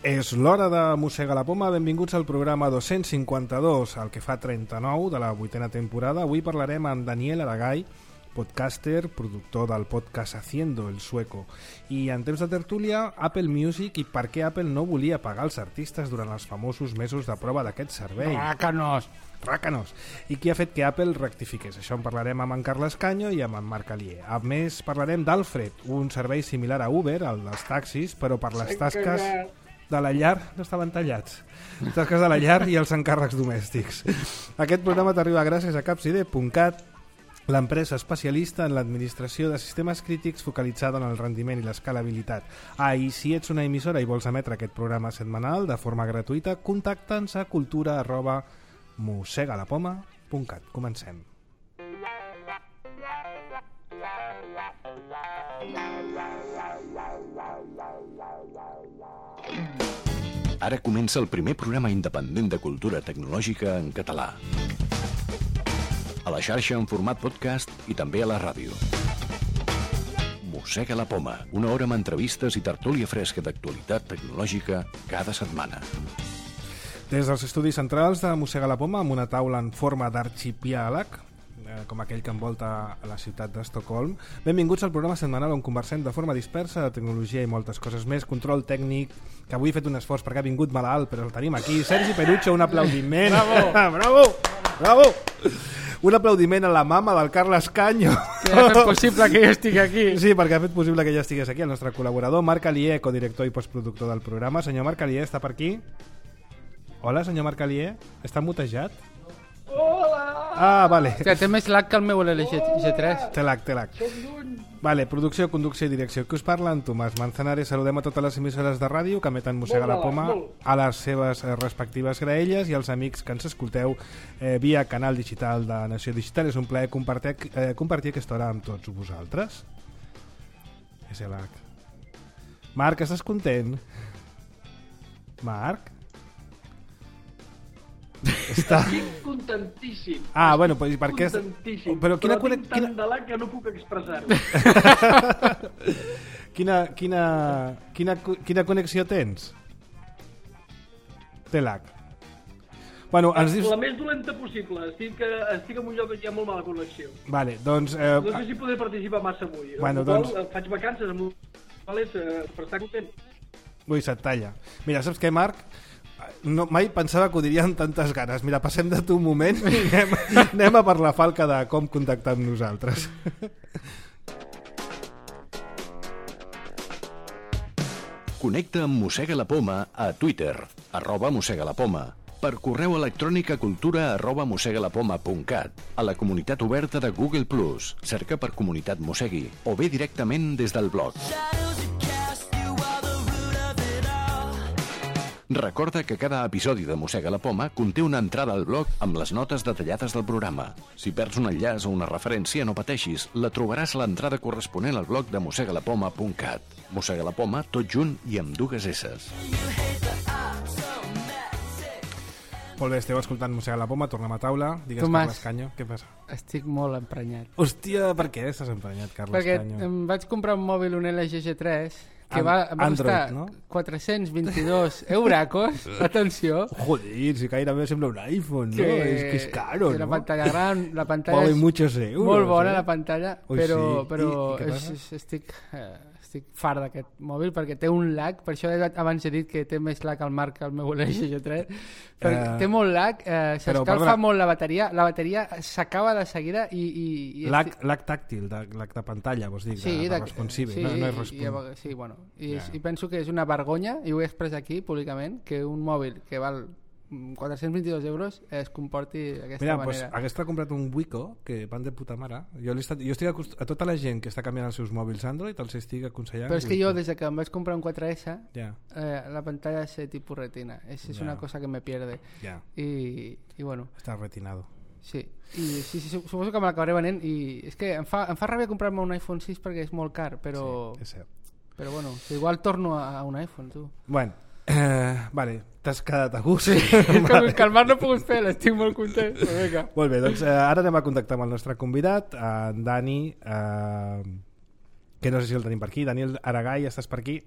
És l'hora de Mossega la Poma. Benvinguts al programa 252, el que fa 39 de la 8ª temporada. Avui parlarem amb Daniel Aragay, podcaster, productor del podcast Haciendo el Sueco. I en temps de tertúlia, Apple Music i per què Apple no volia pagar els artistes durant els famosos mesos de prova d'aquest servei. Rácanos! I qui ha fet que Apple rectifiqués? Això en parlarem amb en Carles Canyo i amb en Marc Alier. A més, parlarem d'Alfred, un servei similar a Uber, el dels taxis, però per les tasques de la llar no estaven tallats. Tasques de la llar i els encàrrecs domèstics. Aquest programa t'arriba gràcies a capside.cat, l'empresa especialista en l'administració de sistemes crítics focalitzada en el rendiment i l'escalabilitat. I si ets una emissora i vols emetre aquest programa setmanal de forma gratuïta, contacta'ns a cultura@mossegalapoma.cat. Comencem. Ara comença el primer programa independent de cultura tecnològica en català. A la xarxa en format podcast i també a la ràdio. Mossega la Poma, una hora amb entrevistes i tertúlia fresca d'actualitat tecnològica cada setmana. Des dels estudis centrals de Mossega la Poma, amb una taula en forma d'arxipiàleg, com aquell que envolta a la ciutat d'Estocolm. Benvinguts al programa setmanal on conversem de forma dispersa de tecnologia i moltes coses més. Control tècnic, que avui he fet un esforç perquè ha vingut malalt, però el tenim aquí. Sergi Perucho, un aplaudiment. Bravo! Un aplaudiment a la mama del Carles Canyo. Que ha fet possible que jo estigui aquí. Sí, perquè ha fet possible que ja estigués aquí. El nostre col·laborador, Marc Alier, codirector i postproductor del programa. Senyor Marc Alier, està per aquí? Hola, senyor Marc Alier. Està mutejat? Hola! Ah, vale. Hòstia, té més lag que el meu LG3. Té lag. Vale, producció, conducció i direcció. Qui us parla? En Tomàs Manzanares. Saludem a totes les emissores de ràdio que emeten Mossega la Poma a les seves respectives graelles i als amics que ens escolteu via canal digital de Nació Digital. És un plaer compartir aquesta hora amb tots vosaltres. És el lag. Marc, estàs content? Marc? Estic contentíssim. Ah, bueno, pues, per què? Contentíssim. Però tinc tant de lag que no puc expressar-ho. Quina connexió tens? Té lag. Bueno, ens dius... La més dolenta possible. Estic en un lloc que hi ha molt mala connexió. Vale, doncs... No sé si podré participar massa avui. Bueno, doncs... Faig vacances amb per estar content. Ui, se't talla. Mira, saps què, Marc? No, mai pensava que ho diria amb tantes ganes. Mira, passem de tu un moment i anem a per la falca de com contactar amb nosaltres. Connecta amb Mossega la Poma a Twitter, @mossegalapoma, per correu electrònic a cultura@mossegalapoma.cat, a la comunitat oberta de Google+, cerca per Comunitat Mossegui, o bé directament des del blog. Recorda que cada episodi de Mossega la Poma conté una entrada al blog amb les notes detallades del programa. Si perds un enllaç o una referència, no pateixis, la trobaràs a l'entrada corresponent al blog de mossegalapoma.cat. Mossega la Poma, tot junt i amb dues esses. Molt bé, esteu escoltant Mossega la Poma, tornem a taula. Digues, Tomàs, Carles Canyo, què passa? Estic molt emprenyat. Hòstia, per què estàs emprenyat, Carles Canyo? Perquè em vaig comprar un mòbil, un LG G3, que va Android, costar no? 422 euracos. Atenció. Joder, si gairebé sembla un iPhone, ¿no? Es que es caro, la ¿no? pantalla gran, la pantalla Vale és muchos euros, molt bona, la pantalla, Ui, però, sí. però I què passa? estic fart d'aquest mòbil perquè té un lag, per això abans he dit que té més lag al Marc que el meu LG G3, perquè té molt lag, s'escalfa molt la bateria s'acaba de seguida i lag tàctil, lag de pantalla, vols dir, de responsive, sí, no és responsive. Sí, bueno, i penso que és una vergonya, i ho he expressat aquí públicament, que un mòbil que val 422 euros es comporti d'aquesta manera. Pues, hagués comprat un Wiko, que van de puta mare. Jo estic a tota la gent que està canviant els seus mòbils Android els estic aconsellant. Però és que jo, des que em vaig comprar un 4S, ja. La pantalla és tipus retina. És una cosa que me pierde. Ja. I bueno. Està retinado. Sí, i sí, suposo que me l'acabaré venent, i és que em fa ràbia comprar-me un iPhone 6 perquè és molt car, però... Sí, és cert. Però bueno, igual torno a un iPhone, tu. Bueno, vale, t'has quedat a gust. Sí, que el Marc no ha pogut fer, estic molt content. Molt bé, doncs ara anem a contactar amb el nostre convidat, en Dani, que no sé si el tenim per aquí. Daniel Aragay, estàs per aquí?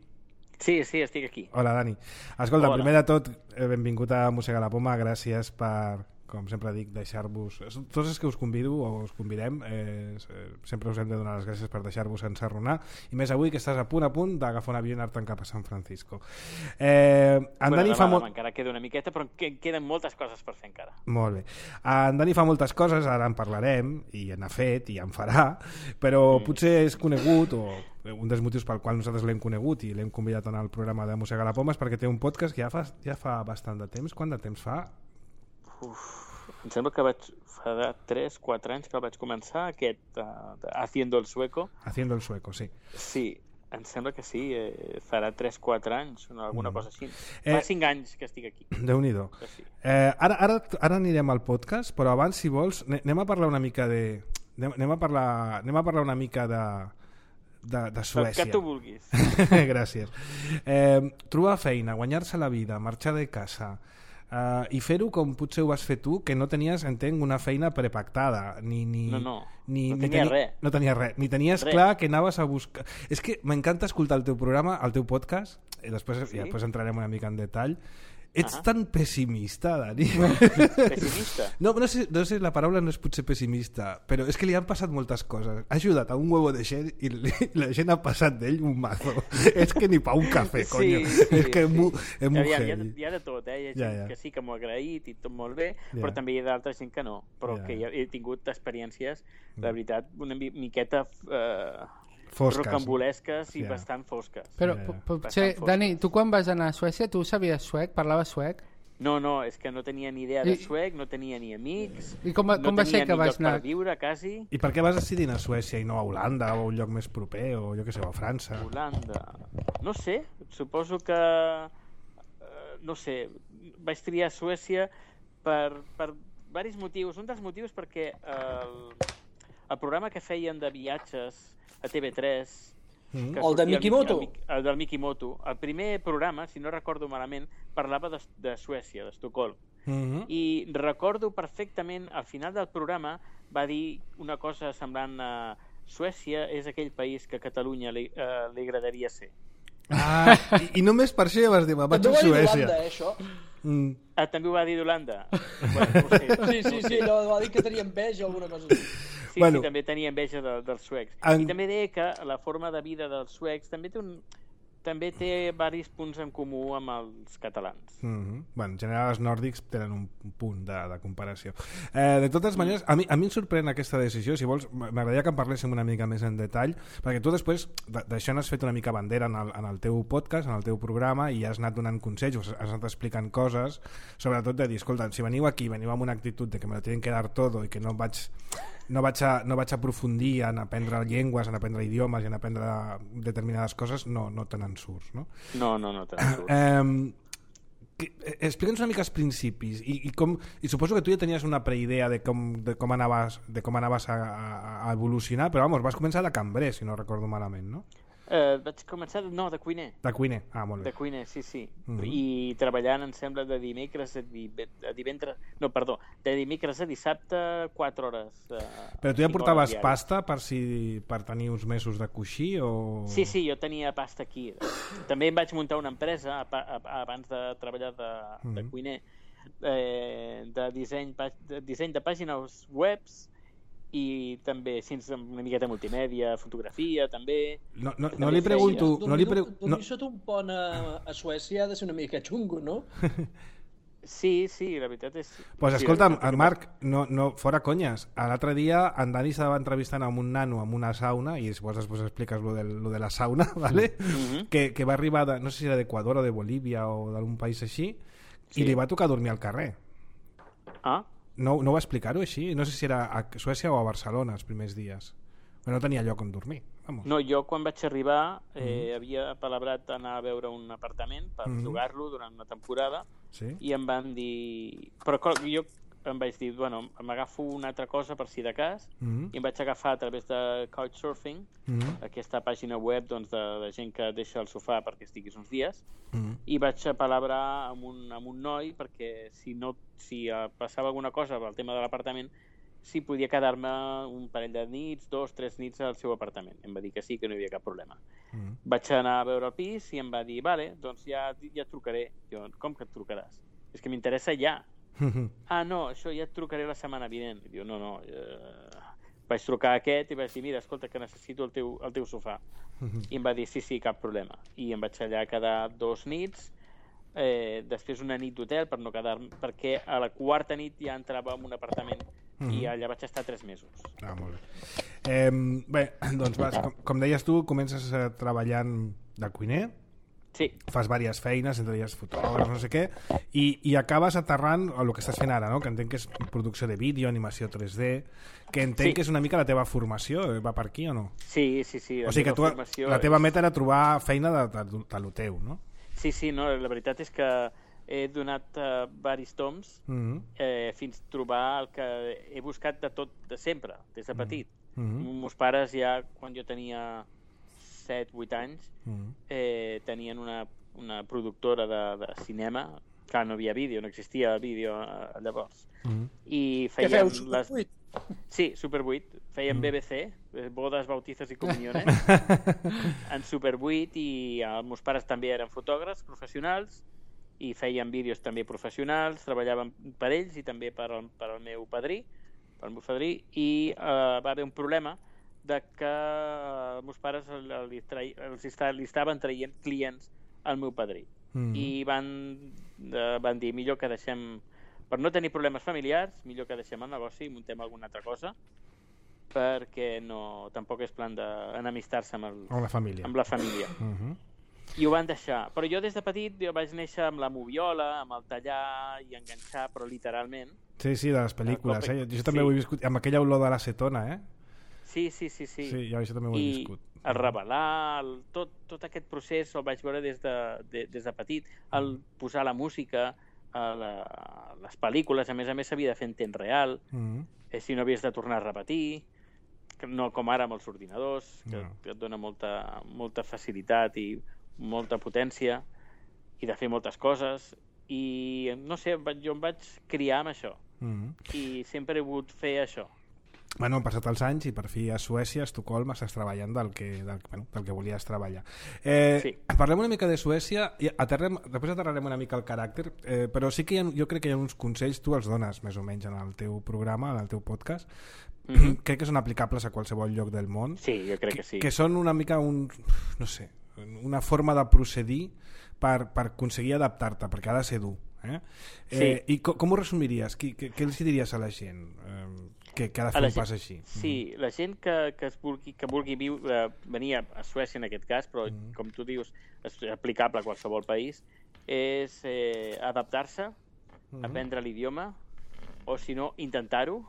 Sí, estic aquí. Hola, Dani. Escolta, primer de tot, benvingut a Mossega la Poma, gràcies per, com sempre dic, deixar-vos... Tots els que us convido o us convidem, sempre us hem de donar les gràcies per deixar-vos ensarronar, i més avui que estàs a punt d'agafar un avió i anar-te'n cap a San Francisco. Dani encara queda una miqueta, però queden moltes coses per fer encara. Molt bé. En Dani fa moltes coses, ara en parlarem, i n'ha fet, i en farà, però potser és conegut, o un dels motius pel qual nosaltres l'hem conegut i l'hem convidat en el programa de Mossega la Poma és perquè té un podcast que ja fa bastant de temps. Quant de temps fa? Em sembla que fa 3-4 anys que el vaig començar, aquest Haciendo el Sueco. Haciendo el Sueco, sí. Sí, em sembla que sí, farà 3-4 anys, alguna cosa així. Fa 5 anys que estic aquí. Déu-n'hi-do. Sí. Ara anirem al podcast, però abans, si vols, anem a parlar una mica de... Anem a parlar una mica de Suècia. El que tu vulguis. Gràcies. Trobar feina, guanyar-se la vida, marxar de casa... i fer-ho com potser ho vas fer tu, que no tenies, entenc, una feina prepactada no tenia res. No tenies res, ni tenies clar que anaves a buscar. És que m'encanta escoltar el teu programa, el teu podcast, i després entrarem una mica en detall. Ets tan pessimista, Dani. Pessimista? No sé, la paraula no és potser pessimista, però és que li han passat moltes coses. Ha ajudat a un huevo de gent i la gent ha passat d'ell un mazo. És que ni pa un cafè, coño. És que és molt heavy. Hi ha de tot, Hi ha gent que sí que m'ho ha agraït i tot molt bé, però també hi ha d'altra gent que no. Però que he tingut experiències, la veritat, una miqueta... fosques, rocambolesques i bastant fosques. Però potser, Dani, tu quan vas anar a Suècia, tu sabies suec? Parlaves suec? No, és que no tenia ni idea de suec, no tenia ni amics, I com va ser que vas anar? per viure, quasi. I per què vas decidir anar a Suècia i no a Holanda o a un lloc més proper, o jo què sé, a França? Holanda... No sé, suposo que... no sé, vaig triar Suècia per diversos motius. Un dels motius perquè el programa que feien de viatges a TV3... El de Mikimoto? El del Mikimoto. El primer programa, si no recordo malament, parlava de Suècia, d'Estocolm. I recordo perfectament, al final del programa, va dir una cosa semblant a Suècia és aquell país que a Catalunya li agradaria ser. I només per això ja vas dir, vaig a Suècia. També ho va dir d'Holanda, això. També ho va dir d'Holanda? Bueno, no sé. Sí, va dir que tenia enveja o alguna cosa així. Sí, també tenia enveja dels suecs. I també deia que la forma de vida dels suecs també té diversos punts en comú amb els catalans. En general els nòrdics tenen un punt de comparació. De totes maneres, a mi em sorprèn aquesta decisió. Si vols, m'agradaria que en parléssim una mica més en detall, perquè tu després d'això n'has fet una mica bandera en el teu podcast, en el teu programa, i has anat donant consells, has anat explicant coses, sobretot de dir, escolta, si veniu aquí, veniu amb una actitud de que me lo tienen que dar todo i que no vaig a aprofundir en aprendre llengües, en aprendre idiomes i en aprendre determinades coses, no te n'en surts, no? No te n'en surts. Explica'ns una mica els principis i suposo que tu ja tenies una preidea de com anaves a evolucionar, però vas començar de cambrer, si no recordo malament, no? Vaig començar, de cuiner. De cuiner, molt bé. De cuiner, sí. I treballant, em sembla, de dimecres a divendres... No, perdó, de dimecres a dissabte, 4 hores. Però tu ja portaves pasta per tenir uns mesos de coixí o...? Sí, jo tenia pasta aquí. També em vaig muntar una empresa abans de treballar de cuiner, de disseny de pàgines webs, i també una miqueta multimèdia, fotografia també. No li pregunto... Dormir sota un pont a Suècia ha de ser una mica xungo, no? Sí, la veritat és... Pues escolta'm, Marc, fora conyes, l'altre dia en Dani s'estava entrevistant amb un nano amb una sauna, i després expliques lo de la sauna, ¿vale? Que va arribar, no sé si era d'Equador o de Bolívia o d'algun país així, i li va tocar dormir al carrer. No va explicar-ho així? No sé si era a Suècia o a Barcelona els primers dies. Però no tenia lloc on dormir. No, jo quan vaig arribar havia palabrat anar a veure un apartament per llogar-lo durant una temporada i em van dir... Però jo em vaig dir, m'agafo una altra cosa per si de cas, i em vaig agafar a través de Couchsurfing, aquesta pàgina web de gent que deixa el sofà perquè estiguis uns dies, i vaig a palabrar amb un noi perquè si passava alguna cosa pel tema de l'apartament si podia quedar-me un parell de nits, 2-3 nits al seu apartament. Em va dir que sí, que no hi havia cap problema. Vaig anar a veure el pis i em va dir, vale, doncs ja et trucaré. Jo, com que et trucaràs? És que m'interessa ja. No, això ja et trucaré la setmana vinent. Diu, no. Vaig trucar a aquest i vaig dir, mira, escolta, que necessito el teu sofà. I em va dir, sí, cap problema. I em vaig allà quedar 2 nits, després una nit d'hotel per no quedar, perquè a la quarta nit ja entrava en un apartament i allà vaig estar 3 mesos. Molt bé. Bé, doncs com deies tu, comences treballant de cuiner. Sí. Fas diverses feines, entre elles fotògraf, no sé què, i acabes aterrant el que estàs fent ara, no? Que entenc que és producció de vídeo, animació 3D, que entenc que és una mica la teva formació. Va per aquí o no? Sí. O sigui que la teva meta era trobar feina de lo teu, no? Sí, no, la veritat és que he donat diversos toms fins a trobar el que he buscat de tot, de sempre, des de petit. Meus pares ja, quan jo tenia 7-8 anys, tenien una productora de cinema. Clar, no havia vídeo, no existia vídeo llavors. I feien... Què feu, Super 8? Sí, Super 8. Feien BBC, bodes, bautizos i comuniones, en Super 8, i els meus pares també eren fotògrafs professionals i feien vídeos també professionals, treballaven per ells i també per al meu padrí, i va haver un problema de que els meus pares li estaven traient clients al meu padrí. I van dir, millor que deixem, per no tenir problemes familiars, millor que deixem el negoci i muntem alguna altra cosa, perquè tampoc és plan d'enemistar-se amb la família. I ho van deixar. Però jo des de petit vaig néixer amb la moviola, amb el tallar i enganxar, però literalment. Sí, de les pel·lícules. Jo també ho he viscut, amb aquella olor de l'acetona, Sí. Sí, jo això també ho he viscut. El revelar, tot aquest procés el vaig veure des de petit. El posar la música, les pel·lícules, a més s'havia de fer en temps real, si no havies de tornar a repetir, no com ara amb els ordinadors, que et dona molta facilitat i molta potència, i de fer moltes coses. I no sé, jo em vaig criar amb això, i sempre he volgut fer això. Bueno, han passat els anys i per fi a Suècia, a Estocolm, estàs treballant del que volies treballar. Sí. Parlem una mica de Suècia i després aterrarem una mica el caràcter, però sí que jo crec que hi ha uns consells, tu els dones més o menys en el teu programa, en el teu podcast, crec que són aplicables a qualsevol lloc del món. Sí, jo crec que sí. Que són una mica una forma de procedir per aconseguir adaptar-te, perquè ha de ser dur. Sí. I com ho resumiries? Què els diries a la gent que ha de fer un pas així? Sí, la gent que vulgui venir a Suècia en aquest cas, però com tu dius és aplicable a qualsevol país, és adaptar-se, aprendre l'idioma, o si no, intentar-ho,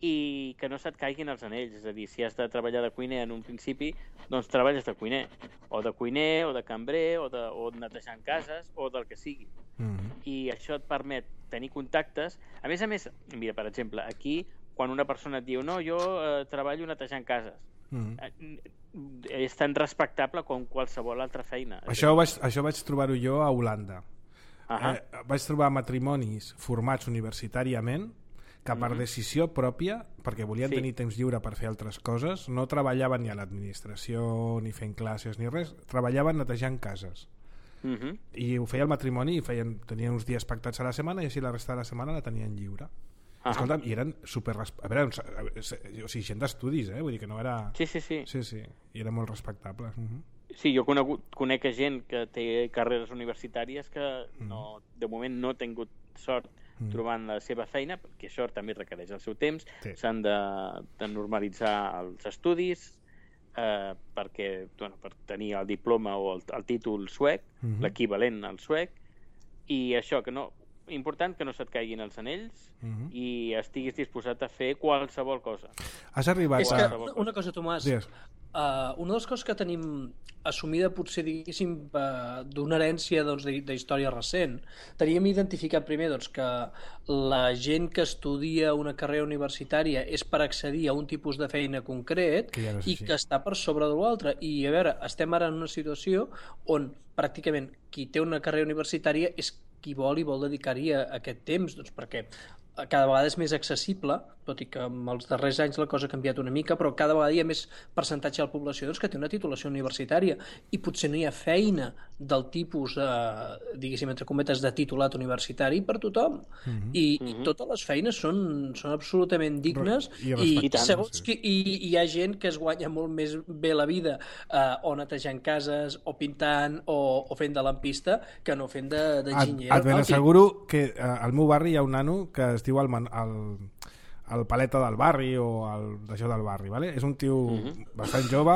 i que no se't caiguin els anells. És a dir, si has de treballar de cuiner en un principi, doncs treballes de cuiner, o de cambrer, o netejant cases, o del que sigui. I això et permet tenir contactes. A més, mira, per exemple, aquí, quan una persona et diu no, jo treballo netejant cases, és tan respectable com qualsevol altra feina. Això vaig trobar-ho jo a Holanda. Vaig trobar matrimonis formats universitàriament que per decisió pròpia, perquè volien tenir temps lliure per fer altres coses, no treballaven ni a l'administració ni fent classes ni res, treballaven netejant cases. I ho feia el matrimoni i tenien uns dies pactats a la setmana i així la resta de la setmana la tenien lliure. Escolta'm, i eren super... A veure, o sigui, gent d'estudis, vull dir que no era... Sí, i eren molt respectables. Sí, jo conec gent que té carreres universitàries que de moment no ha tingut sort trobant la seva feina, perquè això també requereix el seu temps, s'han de normalitzar els estudis per tenir el diploma o el títol suec, l'equivalent al suec, i això, que no... important que no se't caiguin els anells i estiguis disposat a fer qualsevol cosa. Has arribat a... Una cosa, Tomàs, una de les coses que tenim assumida potser, diguéssim, d'una herència d'història recent, teníem identificat primer que la gent que estudia una carrera universitària és per accedir a un tipus de feina concret i que està per sobre de l'altre. I a veure, estem ara en una situació on pràcticament qui té una carrera universitària és qui vol i vol dedicar-hi a aquest temps, perquè cada vegada és més accessible, tot i que en els darrers anys la cosa ha canviat una mica, però cada vegada hi ha més percentatge de la població que té una titulació universitària i potser no hi ha feina del tipus, diguéssim, entre cometes, de titulat universitari per tothom. I totes les feines són absolutament dignes i segons hi ha gent que es guanya molt més bé la vida o netejant cases, o pintant, o fent de lampista, que no fent d'enginyer. Et ben asseguro que al meu barri hi ha un nano que es diu el paleta del barri o d'això del barri, ¿vale? És un tio bastant jove,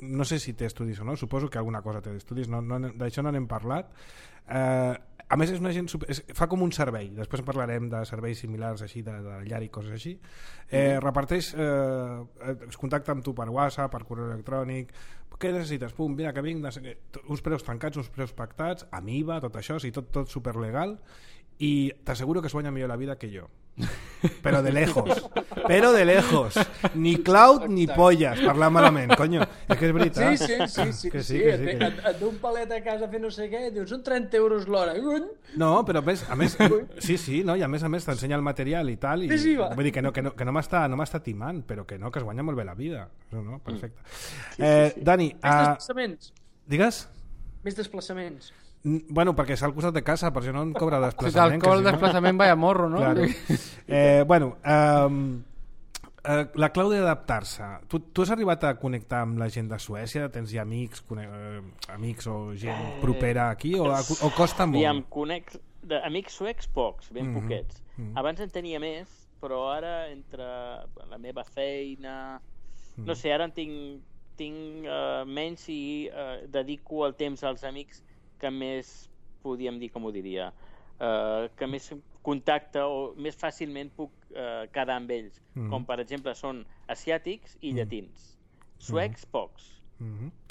no sé si té estudis o no, suposo que alguna cosa té d'estudis, d'això no n'hem parlat. A més és una gent fa com un servei, després parlarem de serveis similars així, de llar i coses així. Reparteix, es contacta amb tu per WhatsApp, per correu electrònic, què necessites? Pum, mira que vinc, uns preus tancats, uns preus pactats, amb IVA, tot això, o sigui, tot superlegal, y te aseguro que es guanya millor la vida que jo. Pero de lejos. Ni cloud ni pollas, parlar malament, coño. És que és veritat. Sí. Et du un palet a casa a fer no sé què, dius, són 30 euros l'hora. No, però a més sí, no, i a més t'ensenya el material i tal, i vull dir que no m'està timant, però que es guanya molt bé la vida. No, perfecte. Dani, més desplaçaments. Digues? Més desplaçaments. Bueno, perquè és al costat de casa, per això no em cobra desplaçament. Si t'alcohol el desplaçament vaya morro, no? Claro. La clau d'adaptar-se. Tu has arribat a connectar amb la gent de Suècia? Tens ja amics o gent propera aquí? O costa molt? Amics suecs pocs, ben poquets. Abans en tenia més, però ara entre la meva feina... No sé, ara en tinc menys i dedico el temps als amics que més, podríem dir, com ho diria, que més contacte o més fàcilment puc quedar amb ells, com per exemple són asiàtics i llatins. Suecs, pocs.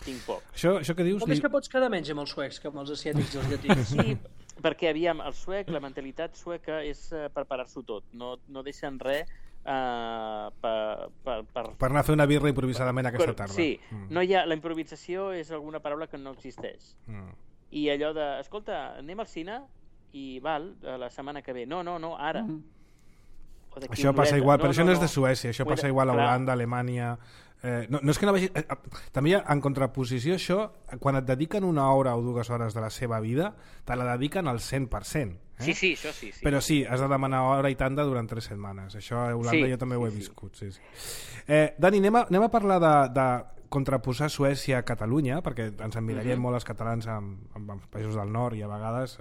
Tinc pocs. Això que dius... Com és que pots quedar menys amb els suecs que amb els asiàtics i els llatins? Sí, perquè aviam, el suec, la mentalitat sueca és preparar-s'ho tot, no deixen res per anar a fer una birra improvisadament aquesta tarda. Sí, no hi ha, la improvisació és alguna paraula que no existeix. I allò de, escolta, anem al cine i val, la setmana que ve. No, ara. Això passa igual, però això no és de Suècia, això passa igual a Holanda, Alemanya... No és que no vegi... També en contraposició això, quan et dediquen una hora o 2 hores de la seva vida, te la dediquen al 100%. Sí, això sí. Però sí, has de demanar hora i tanda durant 3 setmanes. Això a Holanda jo també ho he viscut. Sí. Dani, anem a parlar de contraposar Suècia a Catalunya, perquè ens emmirallem molt els catalans amb els països del nord i a vegades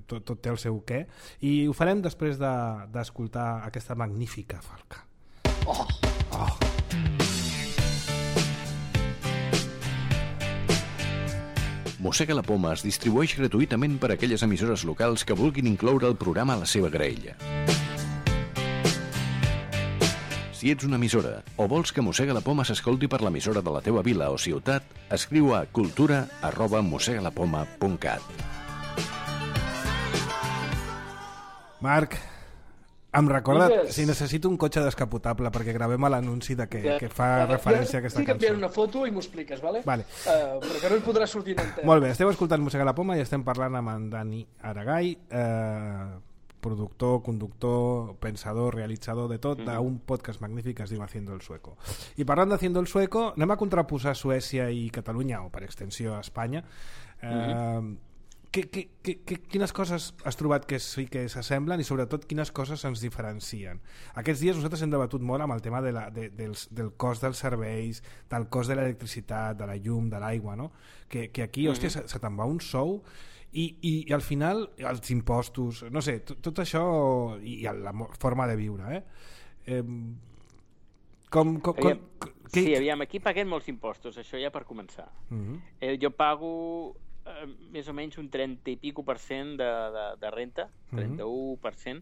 tot té el seu què, i ho farem després d'escoltar aquesta magnífica falca. Mossega la Poma es distribueix gratuïtament per a aquelles emissores locals que vulguin incloure el programa a la seva graella. Si ets una emissora o vols que Mossega la Poma s'escolti per l'emissora de la teva vila o ciutat, escriu a cultura@mossegalapoma.cat. Marc, em recorda si necessito un cotxe descapotable perquè gravem l'anunci que fa referència a aquesta cançó. Estic enviant una foto i m'ho expliques, vale? Però que no hi podrà sortir en enter. Molt bé, esteu escoltant Mossega la Poma i estem parlant amb en Dani Aragay, productor, conductor, pensador, realitzador de tot, d'un podcast magnífic que es diu Haciendo el Sueco. I parlant d'Haciendo el Sueco, anem a contraposar Suècia i Catalunya, o per extensió a Espanya. Quines coses has trobat que sí que s'assemblen i sobretot quines coses ens diferencien? Aquests dies nosaltres hem debatut molt amb el tema del cost dels serveis, del cost de l'electricitat, de la llum, de l'aigua, no? Que aquí, hòstia, se te'n va un sou i al final els impostos, no sé, tot això i la forma de viure, Sí, aviam, aquí paguem molts impostos, això ja per començar. Jo pago més o menys un 30 i pico % de renta, 31%.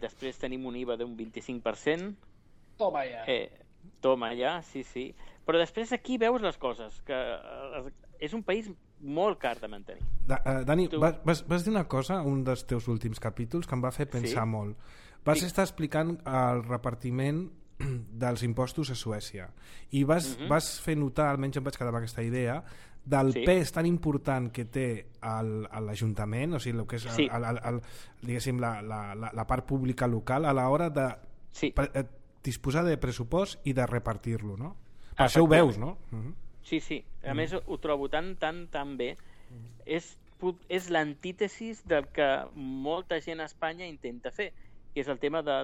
Després tenim un IVA d'un 25%. Toma ja, sí. Però després aquí veus les coses, que és un país molt car de mantenir. Dani, vas dir una cosa, un dels teus últims capítols, que em va fer pensar molt. Vas estar explicant el repartiment dels impostos a Suècia i vas fer notar, almenys em vaig quedar amb aquesta idea, del pes tan important que té l'Ajuntament, o sigui, el que és diguéssim, la part pública local a l'hora de disposar de pressupost i de repartir-lo, no? Per això ho veus, no? Sí. A més, ho trobo tan bé. És l'antítesis del que molta gent a Espanya intenta fer, que és el tema de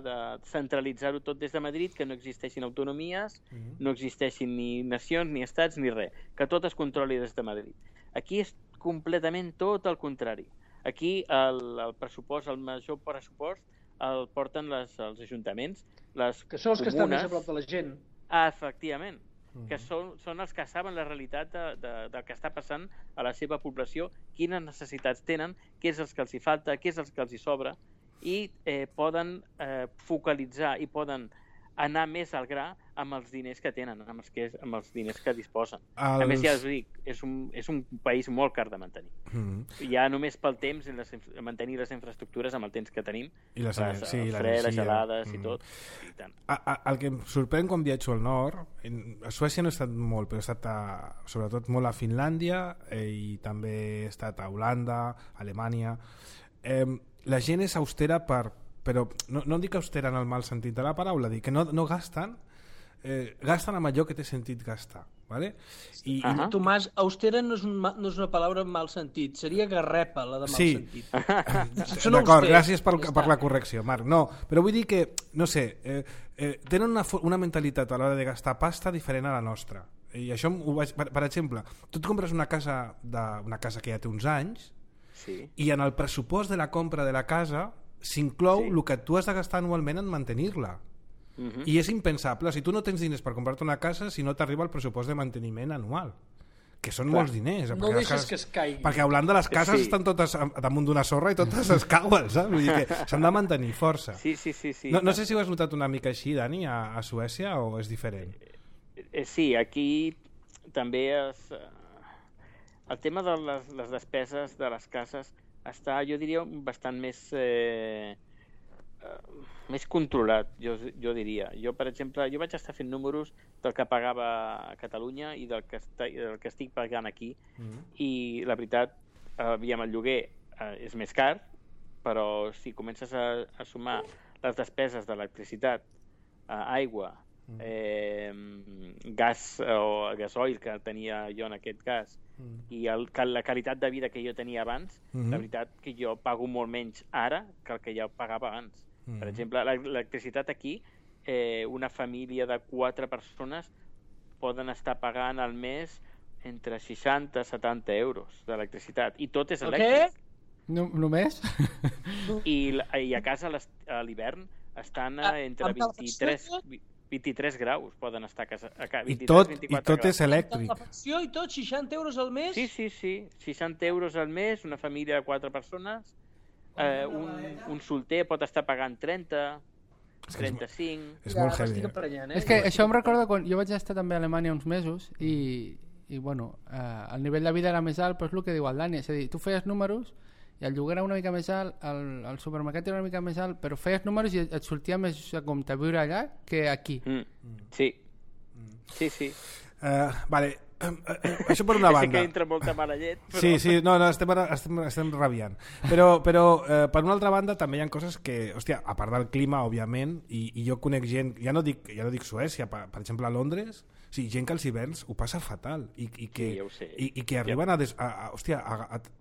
centralitzar-ho tot des de Madrid, que no existeixin autonomies, no existeixin ni nacions, ni estats, ni res, que tot es controli des de Madrid. Aquí és completament tot el contrari. Aquí el pressupost, el major pressupost, el porten els ajuntaments, les que són els que estan més a prop de la gent. Efectivament, que són els que saben la realitat del que està passant a la seva població, quines necessitats tenen, què és el que els hi falta, què és el que els hi sobra, i poden focalitzar i poden anar més al gra amb els diners que tenen, amb els diners que disposen. A més, ja us dic, és un país molt car de mantenir. Ja només pel temps, mantenir les infraestructures amb el temps que tenim, el fred, les gelades i tot. I tant. El que em sorprèn quan viatjo al nord, a Suècia no he estat molt, però he estat sobretot molt a Finlàndia i també he estat a Holanda, Alemanya. La gent és austera però no dic austera en el mal sentit de la paraula, dic que no gasten, gasten amb allò que té sentit gastar, ¿vale? Tomàs, austera no és una paraula en mal sentit, seria garrepa la de mal sentit. D'acord, gràcies per la correcció, Marc. No, però vull dir que, no sé, tenen una mentalitat a l'hora de gastar pasta diferent a la nostra. I això, per exemple, tu et compres una casa que ja té uns anys i en el pressupost de la compra de la casa s'inclou el que tu has de gastar anualment en mantenir-la. I és impensable, si tu no tens diners per comprar-te una casa si no t'arriba el pressupost de manteniment anual, que són molts diners. No deixes que es caigui. Perquè a Holanda les cases estan totes damunt d'una sorra i totes es cauen, saps? Vull dir que s'han de mantenir força. Sí. No sé si ho has notat una mica així, Dani, a Suècia, o és diferent? Sí, aquí també el tema de les despeses de les cases està, jo diria, bastant més controlat, jo diria. Jo, per exemple, vaig estar fent números del que pagava a Catalunya i del que estic pagant aquí, i la veritat, el lloguer és més car, però si comences a sumar les despeses d'electricitat, aigua, gas o gasoil que tenia jo en aquest cas, i la qualitat de vida que jo tenia abans, la veritat que jo pago molt menys ara que el que jo pagava abans. Per exemple, l'electricitat aquí, una família de 4 persones poden estar pagant al mes entre 60 i 70 euros d'electricitat, i tot és elèctric. Només? I a casa a l'hivern estan entre 23 graus poden estar a casa. I tot és elèctric. La facció i tot, 60 euros al mes? Sí. 60 euros al mes, una família de 4 persones, un solter pot estar pagant 30, 35... És molt heavy. És que això em recorda quan jo vaig estar també a Alemanya uns mesos i bueno, el nivell de vida era més alt, però és el que diu el Dani, és a dir, tu feies números i el lloguer era una mica més alt, el supermercat era una mica més alt, però feies números i et sortia més a compte viure allà que aquí. Sí. Vale, això per una banda. Sé que entra molta mala llet, però... Sí, no, estem rabiant. Però per una altra banda també hi ha coses que, hòstia, a part del clima, òbviament, i jo conec gent, ja no dic Suècia, per exemple a Londres, sí, gent que als hiverns ho passa fatal i que, ja ho sé. I que arriben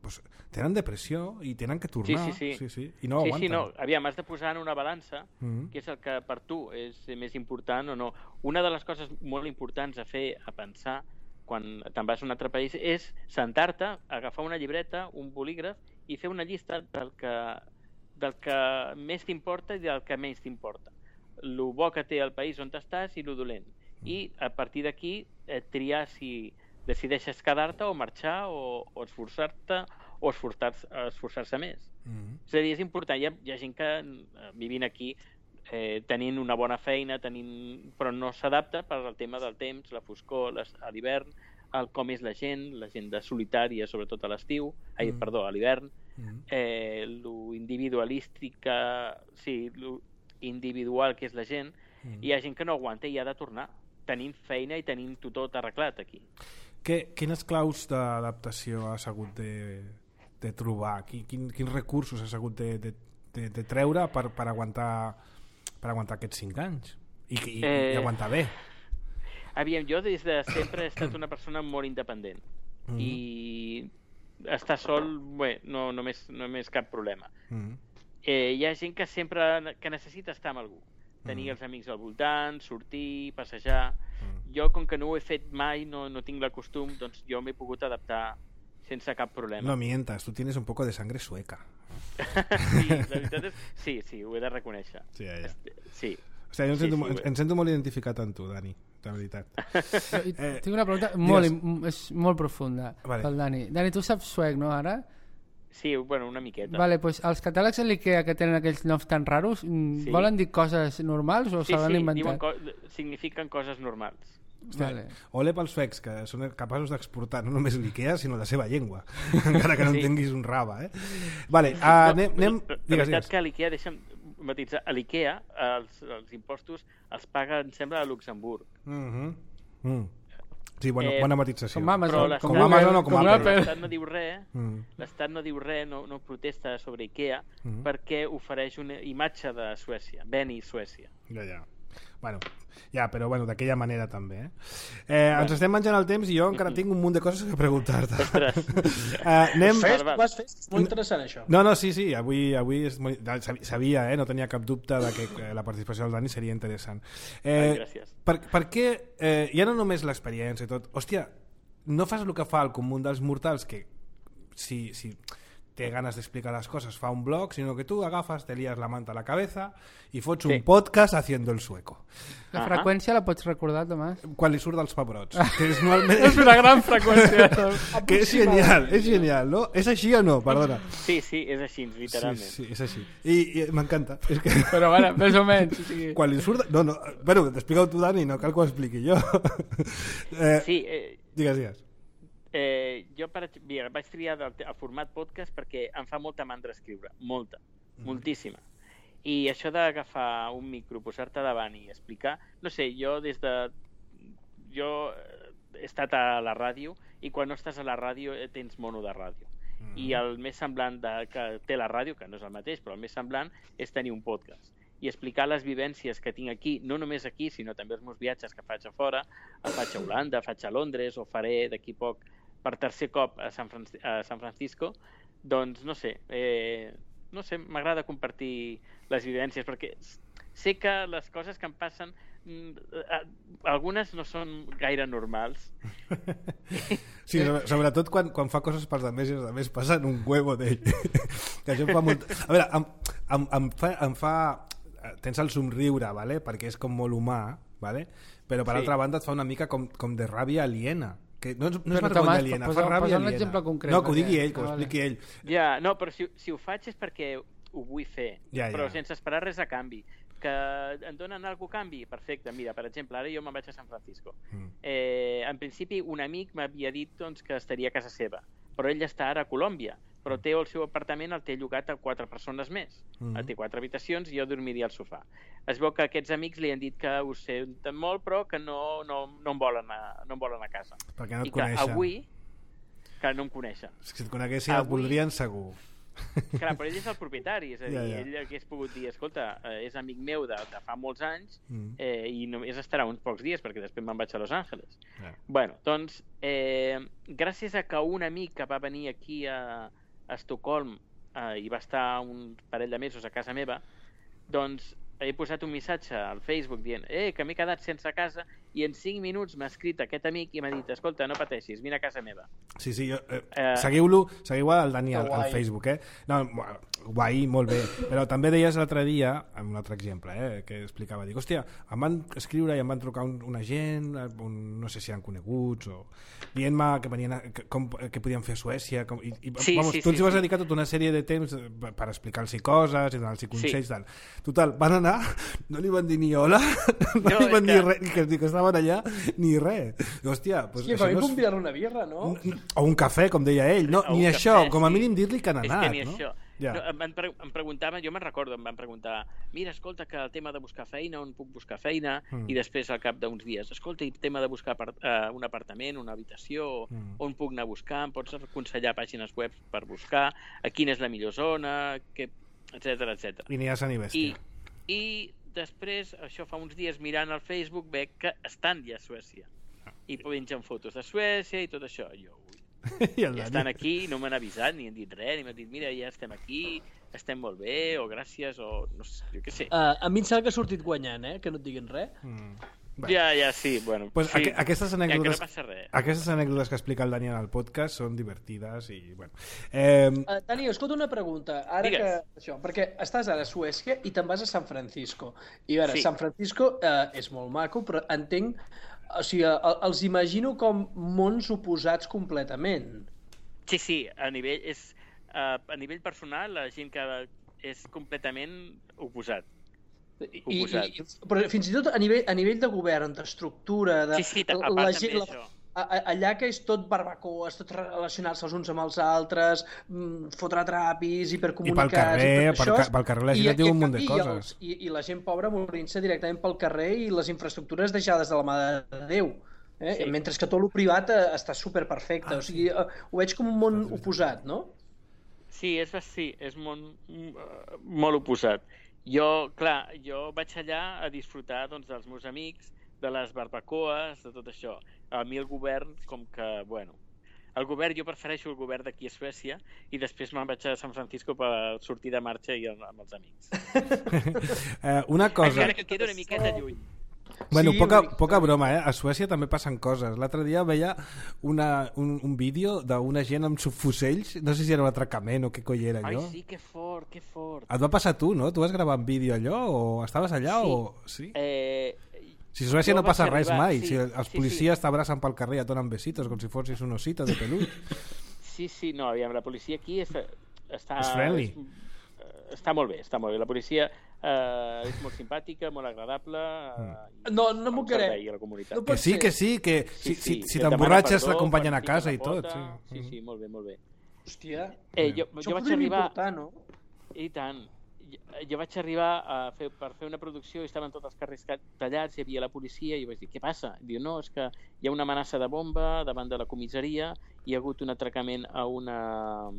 pues, tenen depressió i tenen que tornar. Sí. I no aguanten. No. Aviam, has de posar en una balança què és el que per tu és més important o no. Una de les coses molt importants a fer, a pensar, quan te'n vas a un altre país, és sentar-te, agafar una llibreta, un bolígraf i fer una llista del que més t'importa i del que menys t'importa. Lo bo que té el país on estàs i lo dolent. I a partir d'aquí triar si decideixes quedar-te o marxar o esforçar-te o esforçar-se més. És a dir, és important. Hi ha gent que vivint aquí tenint una bona feina, però no s'adapta per al tema del temps, la foscor, a l'hivern, com és la gent de solitària, sobretot a l'estiu, a l'hivern, lo individualística, lo individual que és la gent, i hi ha gent que no aguanta i ha de tornar, tenint feina i tenint tot arreglat aquí. Quines claus d'adaptació has hagut de trobar? Quins recursos has hagut de treure per aguantar aquests 5 anys i aguantar bé? Aviam, jo des de sempre he estat una persona molt independent i estar sol no és cap problema. Hi ha gent que sempre necessita estar amb algú, tenir els amics al voltant, sortir, passejar. Jo, com que no ho he fet mai, no tinc el costum, doncs jo m'he pogut adaptar sense cap problema. No mientas, tú tienes un poco de sangre sueca. Sí, la veritat és... Sí, ho he de reconèixer. Sí, ja. Sí. O sigui, em sento molt identificat amb tu, Dani, de veritat. Tinc una pregunta molt profunda pel Dani. Dani, tu saps suec, no, ara? Sí, bueno, una miqueta. Vale, pues els catàlegs a l'IKEA que tenen aquells noms tan raros, volen dir coses normals o s'han inventat? Signifiquen coses normals. Vale. Ole pels suecs, que són capaços d'exportar no només l'IKEA, sinó la seva llengua. Encara que no entenguis un rave. Vale, anem... La veritat que a l'IKEA, deixa'm matitzar, a l'IKEA els impostos els paga, em sembla, a Luxemburg. Sí, bona matització. Com Amazon. Com Amazon o com Apple. L'Estat no diu res, no protesta sobre IKEA perquè ofereix una imatge de Suècia, Beni Suècia. Ja. Bueno, però d'aquella manera també. Ens estem menjant el temps i jo encara tinc un munt de coses que preguntar-te. Vas fer? És molt interessant això. No, sí, avui és molt... sabia, no tenia cap dubte de que la participació del Dani seria interessant. Gràcies. Per què, ja no només l'experiència i tot, hòstia, no fas el que fa el comú dels mortals, que si té ganes d'explicar les coses fa un blog, sinó que tu agafes, te lías la manta a la cabeza i fots un podcast haciendo el sueco. La freqüència la pots recordar, Tomàs? Quan li surt dels pebrots. És una gran freqüència. Que és genial, no? És així o no? Perdona. Sí, és així, literalment. Sí, és així. I m'encanta. Però bueno, més o menys. Quan li surt... No, bueno, t'explica-ho tu, Dani, no cal que ho expliqui jo. Sí. Digues. Jo vaig triar el format podcast perquè em fa molta mandra escriure, moltíssima, i això d'agafar un micro, posar-te davant i explicar, no sé, jo he estat a la ràdio i quan no estàs a la ràdio tens mono de ràdio i el més semblant que té la ràdio, que no és el mateix, però el més semblant és tenir un podcast i explicar les vivències que tinc aquí, no només aquí, sinó també els meus viatges que faig a fora, faig a Holanda, faig a Londres o faré d'aquí poc per tercer cop a San Francisco, doncs no sé, m'agrada compartir les vivències perquè sé que les coses que em passen algunes no són gaire normals. Sí, sobretot quan fa coses pels altres i els altres passen un huevo d'ell. Que això em fa molt... A veure, em fa... Tens el somriure, ¿vale? Perquè és com molt humà, ¿vale? Però per altra banda et fa una mica com de ràbia aliena. Que no és vergonya aliena, fa ràbia aliena. Un exemple concret. No, que ho digui ell, que ho expliqui ell. Ja, no, però si ho faig és perquè ho vull fer, però sense esperar res a canvi. Que em donen alguna cosa a canvi? Perfecte, mira, per exemple, ara jo me'n vaig a San Francisco. En principi, un amic m'havia dit que estaria a casa seva, però ell està ara a Colòmbia, però té el seu apartament, el té llogat a 4 persones més. Té 4 habitacions i jo dormiria al sofà. Es veu que aquests amics li han dit que ho senten molt, però que no em volen a casa. Perquè no et I coneixen. que avui, que no em coneixen. Si et coneguessin et voldrien segur. Clar, però ell és el propietari, és a dir, ell hagués pogut dir, escolta, és amic meu de fa molts anys i només estarà uns pocs dies perquè després me'n vaig a Los Angeles. Bueno, doncs, gràcies a que un amic que va venir aquí a Estocolm i va estar un parell de mesos a casa meva, doncs he posat un missatge al Facebook dient que m'he quedat sense casa i en 5 minuts m'ha escrit aquest amic i m'ha dit, escolta, no pateixis, vine a casa meva. Sí, seguiu el Dani al Facebook, No, guai, molt bé, però també deies l'altre dia, amb un altre exemple, que explicava, dic, hòstia, em van escriure i em van trucar una gent, no sé si eren coneguts, o dient-me que venien que podien fer a Suècia, tu ens vas dedicar tota una sèrie de temps per explicar-los coses i donar-los consells, total, van anar, no li van dir ni hola, no li van dir res, que estaven allà, ni res. Hòstia, pues sí, però convidar una birra, no? O un cafè, com deia ell, no, ni això, com a mínim dir-li que han anat, no? Em preguntaven, jo me'n recordo, em van preguntar, mira, escolta, que el tema de buscar feina, on puc buscar feina, i després al cap d'uns dies, escolta, i el tema de buscar un apartament, una habitació, on puc anar a buscar, em pots aconsellar pàgines web per buscar, a quina és la millor zona, etc. I n'hi ha Sant i bèstia. I després, això fa uns dies, mirant al Facebook, veig que estan ja a Suècia. I pengen fotos de Suècia i tot això. Jo, ja estan aquí, no m'han avisat, ni han dit res, ni m'han dit, mira, ja estem aquí, estem molt bé, o gràcies, o no sé, jo què sé. A mi em sembla que ha sortit guanyant, que no et diguin res. Ja, sí, bueno. Pues sí, aquestes anècdotes, que no passa res. Aquestes anècdotes que explica el Daniel al podcast són divertides i, bueno... Dani, escolta una pregunta. Ara que, perquè estàs ara a Suècia i te'n vas a San Francisco. I a veure, San Francisco és molt maco, però entenc... O sigui, els imagino com mons oposats completament. Sí, a nivell personal, la gent que és completament oposat. Però fins i tot a nivell de govern, d'estructura, de la gent, allà que és tot barbacoes, tot relacionar-se els uns amb els altres, fotre trapis, hipercomunicats... I pel carrer la gent diu un munt de coses. I la gent pobra morint-se directament pel carrer i les infraestructures deixades de la mà de Déu. Mentre que tot el privat està superperfecte. O sigui, ho veig com un món oposat, no? Sí, és molt oposat. Jo vaig allà a disfrutar dels meus amics, de les barbacoes, de tot això. A mi el govern, com que, bueno... Jo prefereixo el govern d'aquí a Suècia i després me'n vaig a San Francisco per sortir de marxa i amb els amics. Una cosa... Encara que queda una miqueta lluny. Bueno, poca broma, A Suècia també passen coses. L'altre dia veia un vídeo d'una gent amb subfusells, no sé si era un atracament o què coi era allò. Ai, sí, que fort. Et va passar tu, no? Tu vas gravar en vídeo allò o estaves allà? Sí. Si a Suècia no passa res mai, si els policies t'abracen pel carrer i et donen besitos com si fossis un osito de pelut. Sí, no, aviam, la policia aquí està... És friendly. Està molt bé. La policia és molt simpàtica, molt agradable. No m'ho crec. No que sí, que si t'emborratxes t'acompanyen a casa i tot. Sí, molt bé. Hòstia, jo vaig arribar... Important, no? I tant. Jo vaig arribar per fer una producció i estaven tots els carrers tallats, hi havia la policia i vaig dir, què passa? Diu, no, és que hi ha una amenaça de bomba davant de la comissaria, hi ha hagut un atracament a una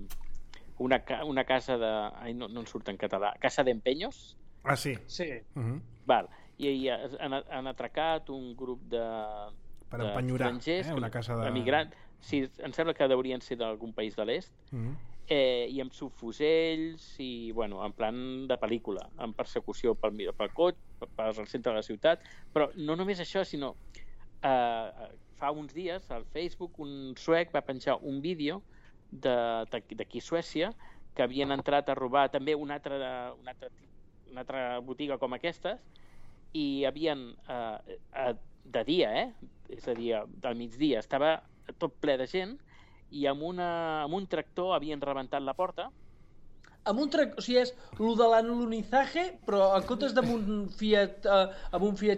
casa de... Ai, no en surt en català. Casa d'empenyos? Ah, sí. Val. I han atracat un grup de... Per empenyorar, una casa de... Emigrants. Sí, em sembla que deurien ser d'algun país de l'est. I amb subfusells i, bueno, en plan de pel·lícula, en persecució pel cotxe, pel centre de la ciutat. Però no només això, sinó fa uns dies al Facebook un suec va penjar un vídeo d'aquí a Suècia que havien entrat a robar també una altra botiga com aquestes i havien de dia, és a dir, del migdia estava tot ple de gent i amb un tractor havien rebentat la porta. Amb un tractor, o sigui, és lo de l'alunizaje, però en comptes amb un Fiat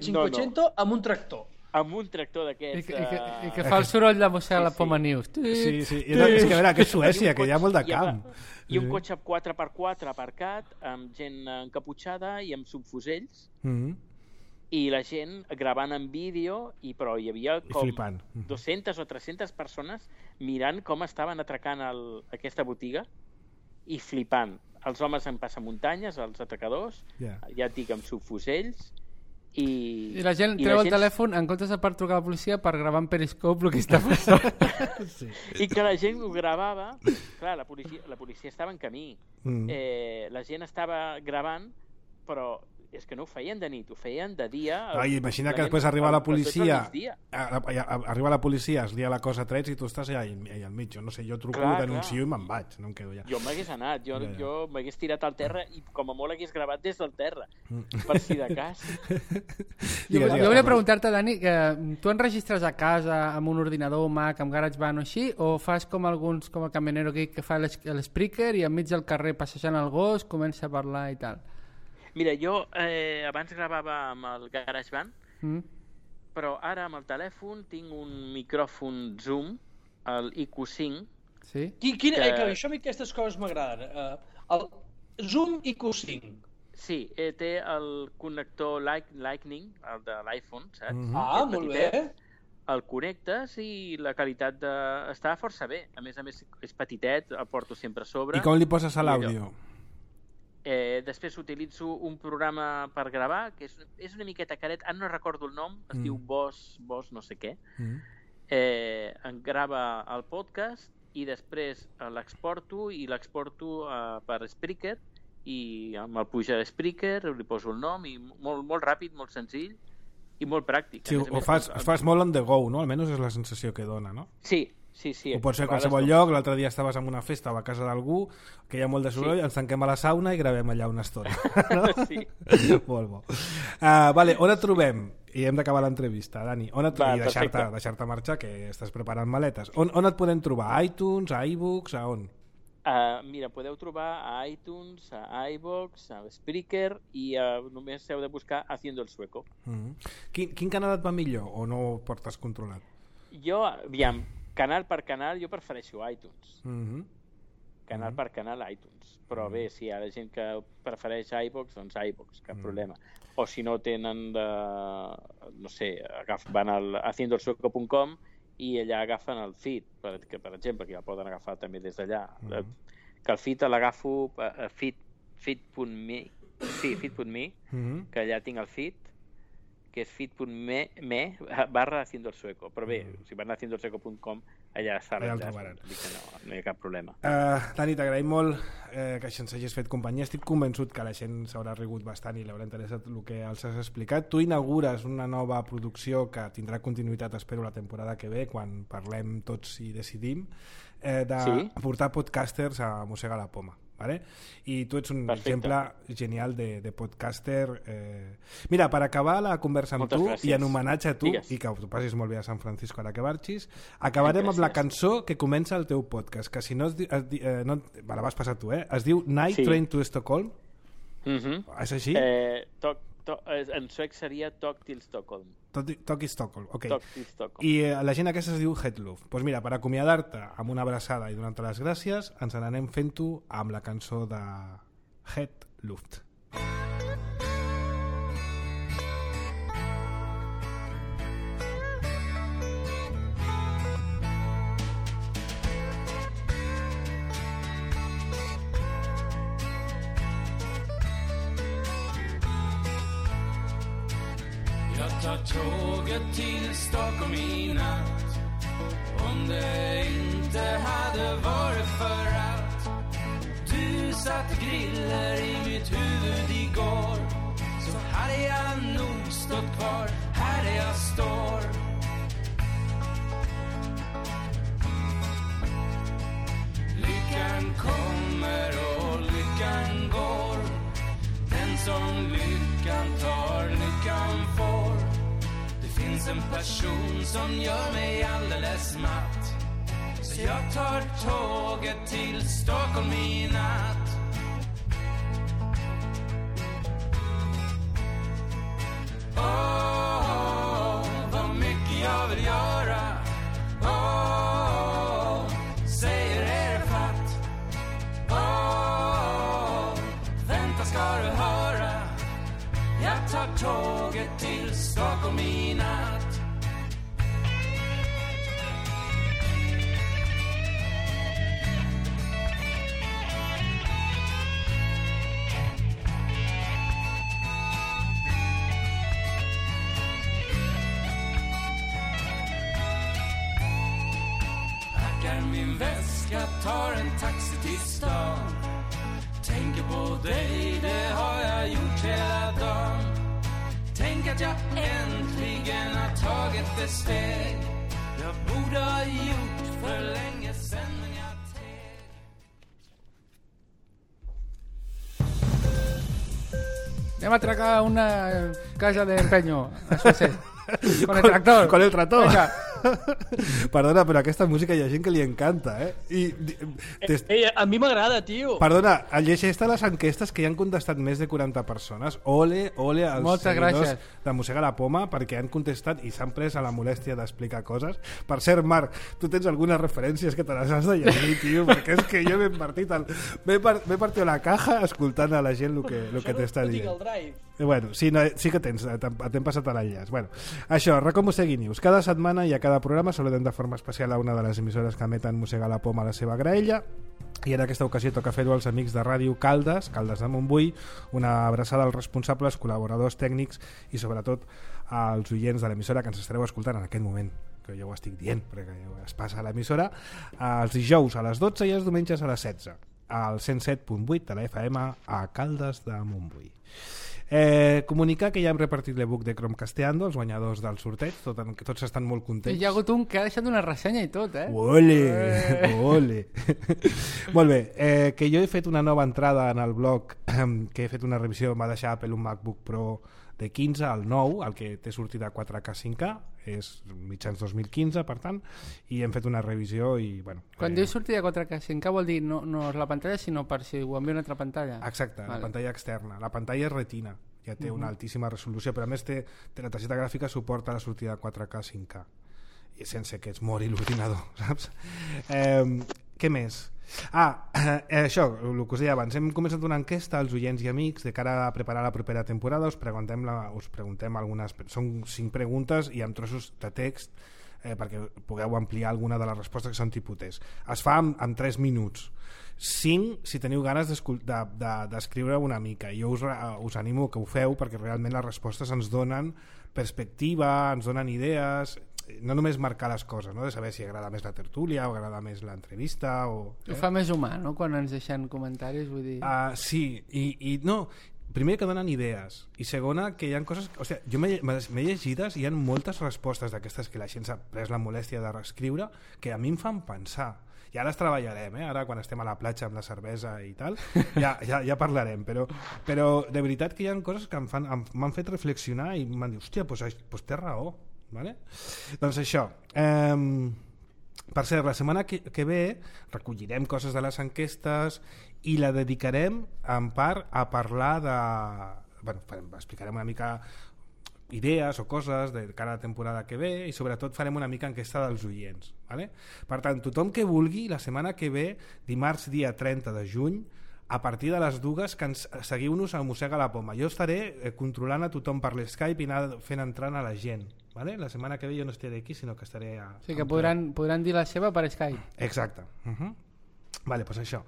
500, amb un tractor. Amb un tractor d'aquests... I que fa el soroll de Mossega la Poma News. Sí. És que, a veure, que és Suècia, que hi ha molt de camp. I un cotxe 4x4 aparcat, amb gent encaputxada i amb subfusells. I la gent gravant en vídeo, però hi havia com 200 o 300 persones mirant com estaven atracant aquesta botiga i flipant. Els homes en passamuntanyes, els atracadors, ja et dic, amb subfusells. I la gent treu el telèfon en comptes de per trucar a la policia per gravar en Periscope el que està passant. I que la gent ho gravava. Clar, la policia estava en camí. La gent estava gravant, però és que no ho feien de nit, ho feien de dia. Imagina que després arriba la policia, arriba la policia, es lia la cosa a trets i tu estàs allà al mig. No sé, jo truco, denuncio i me'n vaig, no em quedo allà. Jo m'hagués anat, jo m'hagués tirat al terra i com a molt hagués gravat des del terra, per si de cas. Jo volia preguntar-te, Dani, que tu enregistres a casa amb un ordinador Mac, amb GarageBand o així, o fas com alguns, com el camionero que fa l'speaker i enmig del carrer passejant el gos comença a parlar i tal? Mira, jo abans gravava amb el GarageBand, però ara amb el telèfon tinc un micròfon Zoom, el IQ5. Sí? Això a mi aquestes coses m'agraden. El Zoom IQ5. Sí, té el connector Lightning, el de l'iPhone, saps? Molt bé. El connectes i la qualitat està força bé. A més, és petitet, el porto sempre a sobre. I com li poses a l'àudio? Després utilitzo un programa per gravar, que és una miqueta caret, ara no recordo el nom, es diu Boss no sé què. Em grava el podcast i després l'exporto per Spreaker i amb el puja de Spreaker li poso el nom i molt ràpid, molt senzill i molt pràctic. Sí, ho fas molt on the go, no? Almenys és la sensació que dona, no? Sí. Ho pots fer a qualsevol lloc. L'altre dia estaves en una festa o a casa d'algú que hi ha molt de soroll, ens tanquem a la sauna i gravem allà una estona. No? Sí. Molt bo. Vale, on et trobem? I hem d'acabar l'entrevista, Dani. I deixar-te marxar, que estàs preparant maletes. On et podem trobar? A iTunes, a iBooks, a on? Mira, podeu trobar a iTunes, a iVoox, a Spreaker i només heu de buscar Haciendo el Sueco. Quin canal et va millor o no ho portes controlat? Jo, aviam, canal per canal, jo prefereixo iTunes. Canal per canal, iTunes. Però bé, si hi ha gent que prefereix iVoox, doncs iVoox, cap problema. O si no tenen no sé, van al haciendoelsueco.com i allà agafen el feed, que per exemple, que ja el poden agafar també des d'allà. Que el feed l'agafo a feed.me, que allà tinc el feed, que és feed.me/haciendoelsueco. Però bé, si van a haciendoelsueco.com allà està l'enllaç, no hi ha cap problema. Dani, t'agraïm molt que ens hagis fet companyia. Estic convençut que la gent s'haurà rigut bastant i li haurà interessat el que els has explicat. Tu inaugures una nova producció que tindrà continuïtat, espero, la temporada que ve, quan parlem tots i decidim, de portar podcasters a Mossega la Poma. Vale? I tu ets un exemple genial de podcaster. Mira, per acabar la conversa amb tu i en homenatge a tu, i que ho passis molt bé a San Francisco ara que marxis, acabarem amb la cançó que comença el teu podcast, que si no la vas passar tu, es diu Night Train to Stockholm. És així? En suec seria Talk till Stockholm. Talk till Stockholm, ok. Stockholm. I la gent aquesta es diu Headluft. Doncs mira, per acomiadar-te amb una abraçada i donar-te les gràcies, ens n'anem fent-ho amb la cançó de Headluft. Ta tåget till Stockholm i natt. Om det inte hade varit för att du satte griller i mitt huvud igår, så hade jag nog stått kvar här där jag står. Lyckan kommer och lyckan går. Den som lyckan tar, lyckan får. Det finns en person som gör mig alldeles matt, så jag tar tåget till Stockholm i natt. Vad mycket jag vill göra. Säger er fatt. Vänta ska du höra. Jag tar tåget till Stockholm i natt. Packar min väska, tar en taxi till stan. Tänker på dig, det har jag gjort hela dagen. Tänk att jag äntligen har tagit ett steg jag borde ha gjort för länge sedan, men jag teg. Anem a atracar una casa de empeño, eso sí. Con el tractor. Con el tractor. Venga. Perdona, però aquesta música hi ha gent que li encanta, a mi m'agrada, tio. Perdona, llegeix-te les enquestes que hi han contestat més de 40 persones. Ole als seguidors de Mossega la Poma, perquè han contestat i s'han pres a la molèstia d'explicar coses. Per cert, Marc, tu tens algunes referències que te les has de llegir, tio, perquè és que jo m'he partit la caja escoltant a la gent el que t'està dient. Bueno, sí que t'hem passat a l'enllaç. Bueno, això, Racó Mossegui News. Cada setmana i a cada programa saludem de forma especial a una de les emissores que emeten Mossega la Poma a la seva graella, i en aquesta ocasió toca fer-ho als amics de Ràdio Caldes de Montbui. Una abraçada als responsables, col·laboradors tècnics i sobretot als oients de l'emissora que ens estareu escoltant en aquest moment, que jo ho estic dient perquè es passa a l'emissora, els dijous a les 12 i els diumenges a les 16 al 107.8 de la FM a Caldes de Montbui. Comunicar que ja hem repartit l'ebook de Chromecasteando, els guanyadors del sorteig, tots estan molt contents. I hi ha hagut un que ha deixat una ressenya i tot, Ole! Molt bé, que jo he fet una nova entrada en el blog, que he fet una revisió, m'ha deixat Apple un MacBook Pro de 15 al 9, el que té sortida 4K 5K, és mitjans 2015, per tant, i hem fet una revisió i, bueno... Quan dius sortida 4K 5K vol dir no és la pantalla, sinó per si ho envia una altra pantalla. Exacte, vale. La pantalla externa. La pantalla és retina, ja té una altíssima resolució, però a més té la targeta gràfica suporta la sortida 4K 5K, i sense que es mori l'ordinador, saps? Què més? Això, el que us deia abans, hem començat una enquesta als oients i amics de cara a preparar la propera temporada. Us preguntem algunes, són 5 preguntes i amb trossos de text perquè pugueu ampliar alguna de les respostes que són tipus test. Es fa en 3 minuts, 5 si teniu ganes d'escriure una mica. Jo us animo que ho feu perquè realment les respostes ens donen perspectiva, ens donen idees, no només marcar les coses, no? De saber si agrada més la tertúlia o agrada més l'entrevista o... Ho fa més humà, no?, quan ens deixen comentaris, vull dir... Sí, i no, primer que donen idees i segona que hi ha coses... O sigui, jo m'he llegides i hi ha moltes respostes d'aquestes que la gent s'ha pres la molèstia de reescriure que a mi em fan pensar. I ara les treballarem, ara quan estem a la platja amb la cervesa i tal, ja parlarem, però de veritat que hi ha coses que m'han fet reflexionar i m'han dit, hòstia, doncs té raó. Vale? Doncs això, per cert, la setmana que ve recollirem coses de les enquestes i la dedicarem en part a parlar de... explicarem una mica idees o coses de cara a la temporada que ve i sobretot farem una mica enquesta dels oients, vale? Per tant, tothom que vulgui, la setmana que ve, dimarts dia 30 de juny, a partir de les 2 que seguiu-nos a Mossega la Poma. Jo estaré controlant a tothom per l'Skype i anar fent entrant a la gent, vale? La setmana que ve jo no estaré aquí, sinó que estaré sí, que podran dir la seva per Skype. Exacte. Vale, doncs això.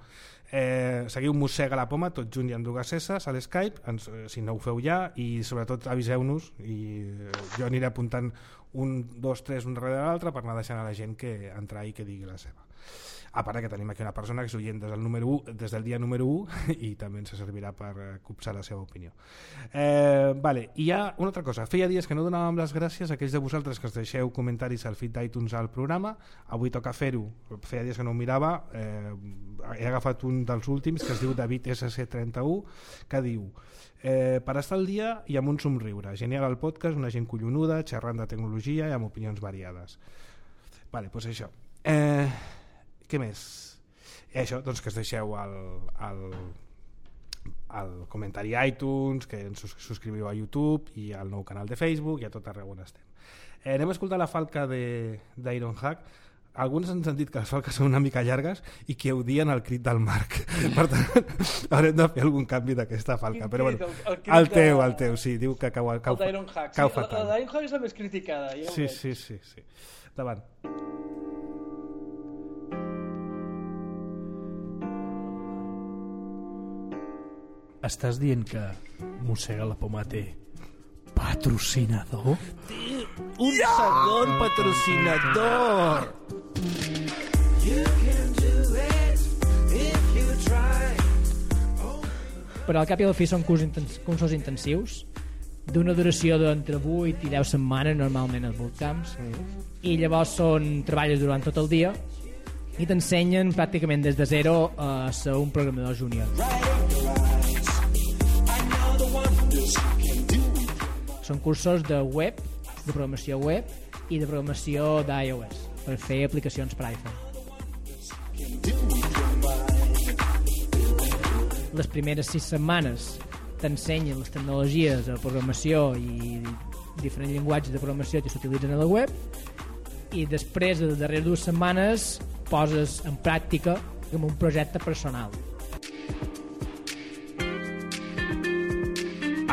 Seguiu Mossega la Poma, tot junt i amb 2 S a l'Skype, si no ho feu ja, i sobretot aviseu-nos i jo aniré apuntant 1, 2, 3 un darrere l'altre per anar deixant a la gent que entrar i que digui la seva. A part que tenim aquí una persona que és oient des del dia número 1 i també ens servirà per copsar la seva opinió. Vale, i hi ha una altra cosa. Feia dies que no donàvem les gràcies a aquells de vosaltres que us deixeu comentaris al feed d'iTunes al programa. Avui toca fer-ho. Feia dies que no ho mirava. He agafat un dels últims que es diu David SC31 que diu per estar al dia i amb un somriure. Genial el podcast, una gent collonuda, xerrant de tecnologia i amb opinions variades. Vale, doncs això. Què més? Això, doncs que es deixeu el comentari a iTunes, que ens subscriviu a YouTube i al nou canal de Facebook i a tot arreu on estem. Anem a escoltar la falca d'Ironhack. Alguns ens han dit que les falques són una mica llargues i que odien el crit del Marc. Per tant, haurem de fer algun canvi d'aquesta falca. Però bueno, el teu, sí, diu que cau fatal. La d'Ironhack és la més criticada. Sí. Davant. Estàs dient que Mossega la Poma té patrocinador? Té un segon patrocinador! Però al cap i al fi són cursos intensius d'una duració d'entre 8 i 10 setmanes normalment als bootcamps i llavors treballes durant tot el dia i t'ensenyen pràcticament des de zero a ser un programador júnior. Són cursos de web, de programació web, i de programació d'iOS per fer aplicacions per iPhone. Les primeres 6 setmanes t'ensenyen les tecnologies de programació i diferents llenguatges de programació que s'utilitzen a la web, i després de les darreres 2 setmanes poses en pràctica com un projecte personal.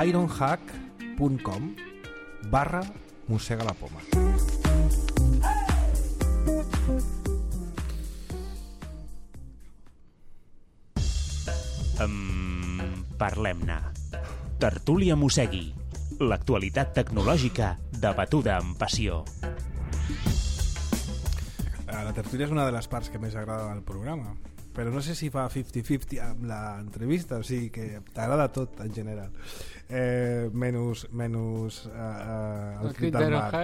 ironhack.com/Mossega la Poma. Parlem-ne. Tertúlia Mossegui. L'actualitat tecnològica debatuda amb passió. La tertúlia és una de les parts que més agrada del programa, però no sé si fa 50-50 amb l'entrevista, o sigui que t'agrada tot en general, menys el crit del mar. El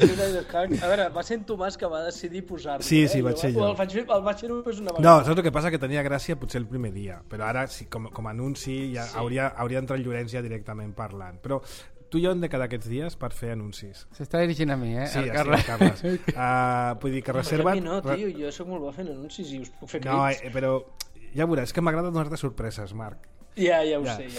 crit del hack. A veure, va ser en Tomàs que va decidir posar-lo. Sí, vaig ser jo. El vaig fer només una vegada. No, saps el que passa? Que tenia gràcia potser el primer dia, però ara com a anunci ja hauria entrat el Llorenç ja directament parlant, però tu i jo hem de quedar aquests dies per fer anuncis. S'està dirigint a mi, Sí, el Carles. Vull dir que reserva't... No, tio, jo soc molt bo fent anuncis i us puc fer crits. No, però ja veuràs, és que m'agrada donar-te sorpreses, Marc. Ja ho sé.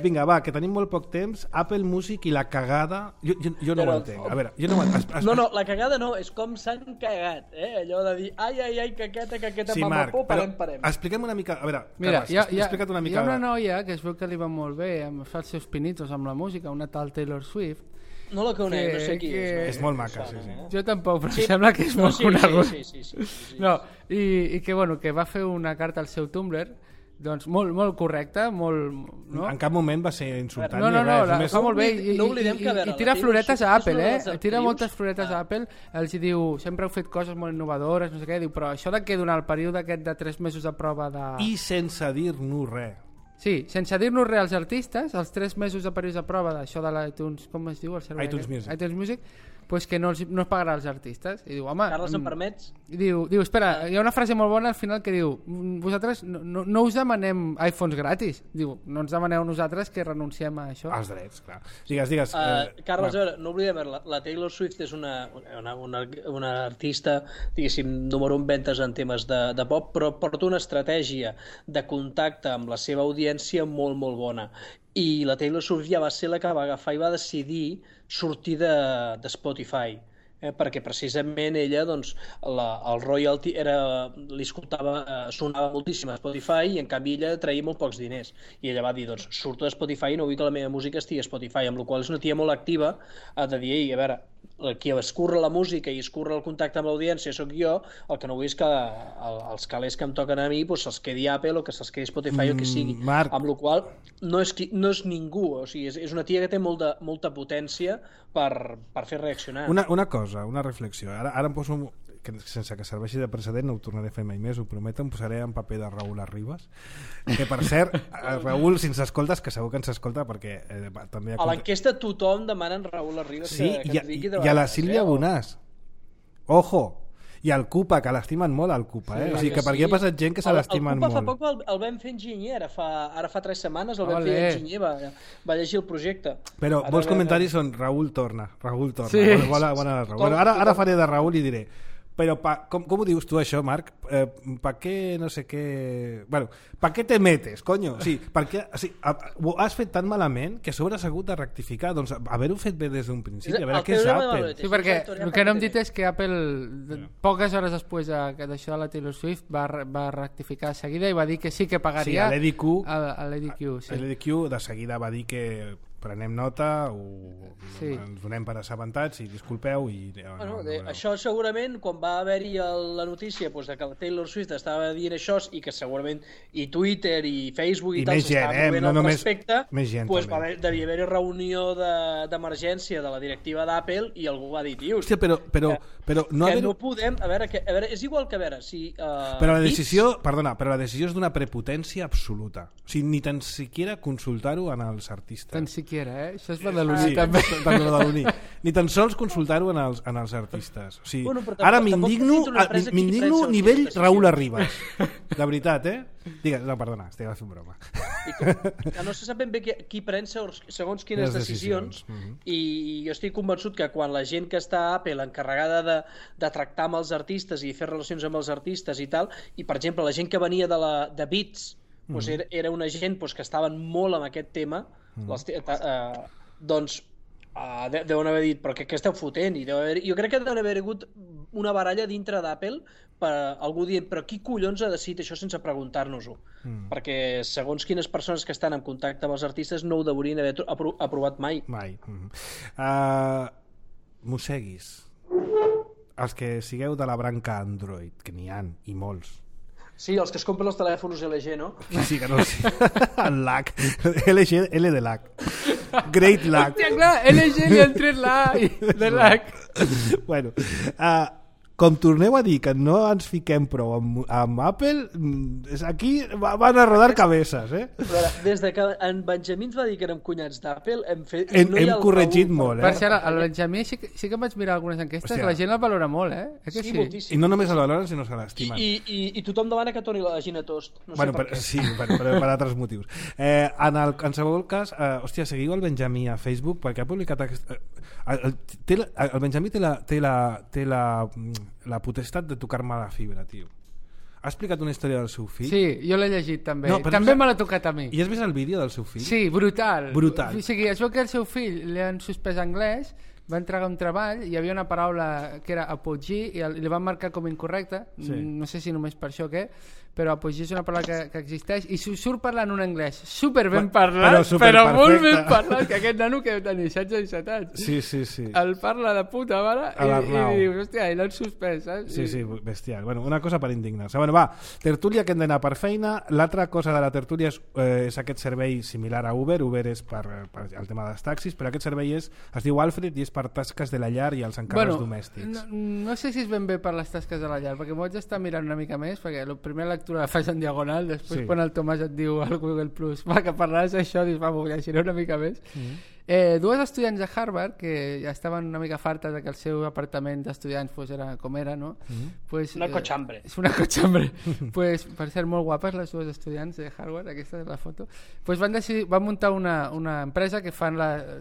Vinga, va, que tenim molt poc temps. Apple Music i la cagada... Jo no ho entenc. A veure, jo no ho entenc. No, la cagada no, és com s'han cagat, allò de dir ai, caqueta, sí, mamapó, parem. Expliquem una mica... A veure, mira, Carles, explica't una mica... Hi ha una noia que es veu que li va molt bé, fa els seus pinitos amb la música, una tal Taylor Swift. No la conec, no sé qui és. És molt maca, sí. Jo tampoc, però sembla que és molt conegut. Sí. No, i que va fer una carta al seu Tumblr, doncs molt correcta, molt... No? En cap moment va ser insultant no, ni res. Fa molt bé i tira floretes a Apple, tira moltes floretes a Apple, els diu, sempre heu fet coses molt innovadores, no sé què, diu, però això de que durant el període aquest de 3 mesos de prova de... I sense dir-nos res. Sí, sense dir-nos res als artistes, els 3 mesos de període de prova d'això de l'iTunes, com es diu? El servei iTunes Music, pues que no es pagarà als artistes. I diu, home... Carles, em permets? Diu, espera, hi ha una frase molt bona al final que diu, vosaltres no us demanem iPhones gratis. Diu, no ens demaneu nosaltres que renunciem a això. Als drets, clar. Digues. Carles, a veure, no oblidem, la Taylor Swift és una artista, diguéssim, número 1 ventes en temes de pop, però porta una estratègia de contacte amb la seva audiència molt, molt bona. I la Taylor Swift ja va ser la que va agafar i va decidir sortir de Spotify, perquè precisament ella, doncs, el royalty li sonava moltíssim a Spotify i en canvi ella traia molt pocs diners, i ella va dir, doncs, surto de Spotify i no vull que la meva música estigui a Spotify, amb la qual és una tia molt activa de dir, a veure, qui escurra la música i escurra el contacte amb l'audiència sóc jo, el que no vull és que els calés que em toquen a mi se'ls quedi Apple o que se'ls quedi Spotify o que sigui, amb la qual no és ningú, o sigui, és una tia que té molta potència per fer reaccionar. Una cosa, una reflexió, ara em poso, sense que serveixi de precedent, no ho tornaré a fer mai més, ho prometo, em posaré en paper de Raül Arribas, que per cert, Raül, si ens escoltes, que segur que ens escolta, perquè també... A l'enquesta tothom demana en Raül Arribas que ens digui de vegades. I a la Sílvia Bonàs, ojo, i al Cupa, que l'estimen molt al Cupa, o sigui que per aquí ha passat gent que se l'estimen molt. El Cupa fa poc el vam fer enginyer, ara fa 3 setmanes el vam fer enginyer, va llegir el projecte. Però molts comentaris són Raül torna, sí. Bona Raül. Ara faré de Raül i diré, però com ho dius tu això, Marc? ¿Para qué no sé què... Bueno, ¿para qué te metes, coño? Sí, perquè ho has fet tan malament que a sobre has hagut de rectificar. Doncs haver-ho fet bé des d'un principi, a veure què és Apple. Sí, perquè el que no hem dit és que Apple, poques hores després d'això de la Taylor Swift, va rectificar de seguida i va dir que sí que pagaria a l'EDQ. L'EDQ de seguida va dir que prenem nota, ens donem per assabentats i disculpeu. Això segurament, quan va haver-hi la notícia de que la Taylor Swift estava dient això i que segurament i Twitter i Facebook i tal s'estava movent al respecte, devia haver-hi reunió d'emergència de la directiva d'Apple i algú va dir, tio, però no podem, a veure, és igual que a veure si... Però la decisió és d'una prepotència absoluta, o sigui, ni tan siquiera consultar-ho en els artistes. siquiera, Això és badaloní, també. També badaloní. Ni tan sols consultar-ho en els artistes. O sigui, ara m'indigno nivell Raúl Arribas. De veritat, Digues, no, perdona, estic fent broma. Que no se sap ben bé qui pren segons quines decisions, i jo estic convençut que quan la gent que està a Apple encarregada de tractar amb els artistes i fer relacions amb els artistes i tal, i per exemple la gent que venia de Beats era una gent que estaven molt amb aquest tema, doncs deuen haver dit, però què esteu fotent? Jo crec que deuen haver hagut una baralla dintre d'Apple per algú dient, però qui collons ha decidit això sense preguntar-nos-ho? Perquè segons quines persones que estan en contacte amb els artistes no ho deurien haver aprovat mai. Mosseguis. Els que sigueu de la branca Android, que n'hi ha, i molts. Sí, els que es compren els telèfons LG, no? Sí, que no ho sé. El lag. LG, L de lag. Great lag. Hòstia, clar, LG li han tret la A de lag. Bueno, com torneu a dir que no ens fiquem prou amb Apple, aquí van a rodar cabezas, Des que en Benjamí ens va dir que érem cunyats d'Apple, hem corregit molt, Per cert, el Benjamí sí que vaig mirar algunes enquestes, la gent el valora molt, Sí, moltíssim. I no només el valoren, sinó que l'estimen. I tothom demana que torni la Gina Tost. No sé per què. Sí, però per altres motius. En qualsevol cas, hòstia, seguiu el Benjamí a Facebook, perquè ha publicat el Benjamí té la potestat de tocar-me la fibra, tio. Ha explicat una història del seu fill? Sí, jo l'he llegit també. També me l'ha tocat a mi. I has vist el vídeo del seu fill? Sí, brutal. Brutal. O sigui, es veu que el seu fill li han suspès anglès, va entregar un treball, hi havia una paraula que era apogee i li van marcar com incorrecta, no sé si només per això o què, però apogee és una paraula que existeix i surt parlant un anglès super ben parlat, però molt ben parlat, que aquest nano que deu tenir 16 i 17 anys. Sí. El parla de puta mare i dius, hòstia, i l'han suspès, saps? Sí, bestial. Bueno, una cosa per indignar-se. Bueno, va, tertúlia que hem d'anar per feina. L'altra cosa de la tertúlia és aquest servei similar a Uber. Uber és per el tema dels taxis, però aquest servei es diu Alfred i és per tasques de la llar i els encàrrecs domèstics. No sé si és ben bé per les tasques de la llar, perquè m'ho haig d'estar mirant una mica més, perquè la primera lectura la faig en diagonal, després quan el Tomàs et diu al Google Plus que parlaràs d'això, dius, m'ho llegiré una mica més. Dues estudiants de Harvard que ja estaven una mica fartes que el seu apartament d'estudiants era com era, no? Una cochambre. És una cochambre. Per ser molt guapes les dues estudiants de Harvard, aquesta és la foto, van muntar una empresa que fan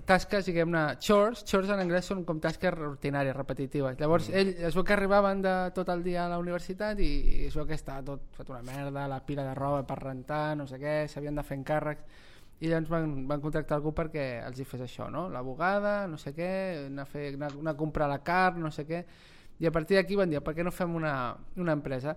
tasques, diguem-ne, chores en anglès són com tasques rutinàries, repetitives. Llavors es veu que arribaven de tot el dia a la universitat i es veu que estava tot fet una merda, la pila de roba per rentar, no sé què, s'havien de fer encàrrecs. I llavors van contractar algú perquè els hi fes això, no? L'abogada, no sé què, anar a comprar la carn, no sé què, i a partir d'aquí van dir, per què no fem una empresa?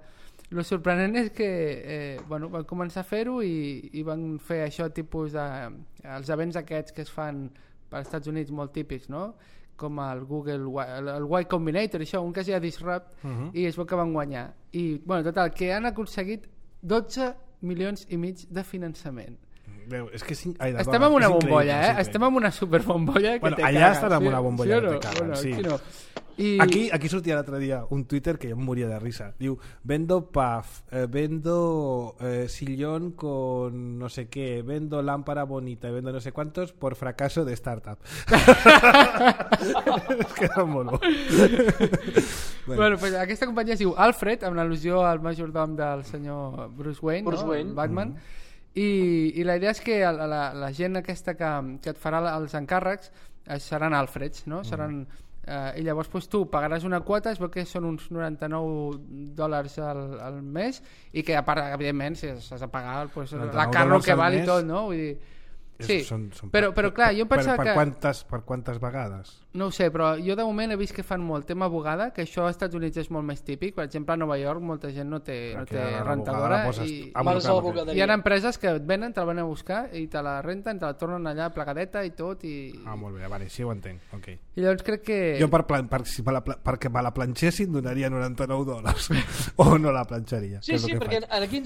El sorprenent és que van començar a fer-ho i van fer això tipus els events aquests que es fan als Estats Units molt típics, no? Com el Google, el Y Combinator, això, un que es deia Disrupt, i es veu que van guanyar. I, total, que han aconseguit 12 milions i mig de finançament. És que estem en una bombolla, estem en una superbombolla que allà estan en una bombolla que te cagan, sí. Aquí no. Aquí sortia l'altre dia un Twitter que jo em moria de risa. Diu, vendo puff, vendo sillón con no sé qué, vendo lámpara bonita, vendo no sé cuántos por fracaso de startup. Es que era mono. Bueno, pues aquesta companyia es diu Alfred, amb l'al·lusió al majordom del senyor Bruce Wayne, Batman. I la idea és que la gent aquesta que et farà els encàrrecs seran Alfreds, no? Seran, i llavors tu pagaràs una quota, es veu que són uns $99 al mes, i que a part, evidentment, si has de pagar la carro que val i tot, no? Vull dir, sí, però clar, jo pensava que... Per quantes vegades? No ho sé, però jo de moment he vist que fan molt tema abogada, que això als Estats Units és molt més típic. Per exemple, a Nova York molta gent no té rentadora i hi ha empreses que et venen, te la van a buscar i te la renten, te la tornen allà plegadeta i tot molt bé, vale, sí ho entenc, okay. I llavors crec que... Jo perquè me la planxessin donaria $99 o no la planxaria. Sí, perquè aquí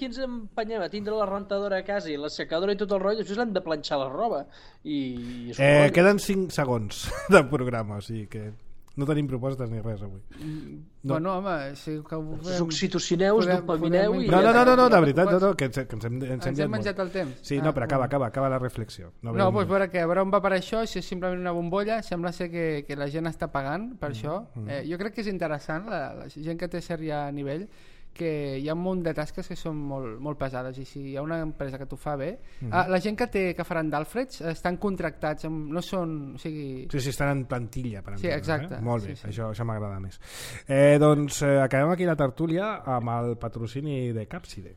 ens empenyem a tindre la rentadora a casa i l'assecadora i tot el rotllo, després l'hem de planxar la roba i queden 5 segons del programa, o sigui que No tenim propostes ni res avui. No. Bueno, home, si que ho fem... Oxitocineu, dopamineu i... No, de veritat, que ens hem menjat el temps. Sí, no, però acaba la reflexió. No, doncs veure on va per això, si és simplement una bombolla, sembla ser que la gent està pagant per això. Jo crec que és interessant, la gent que té cert ja nivell, que hi ha un munt de tasques que són molt pesades, i si hi ha una empresa que t'ho fa bé, la gent que faran d'Alfreds estan contractats, no són... O sigui... Sí, estan en plantilla, per exemple. Sí, exacte. Molt bé, això m'agrada més. Doncs acabem aquí la tertúlia amb el patrocini de Capside.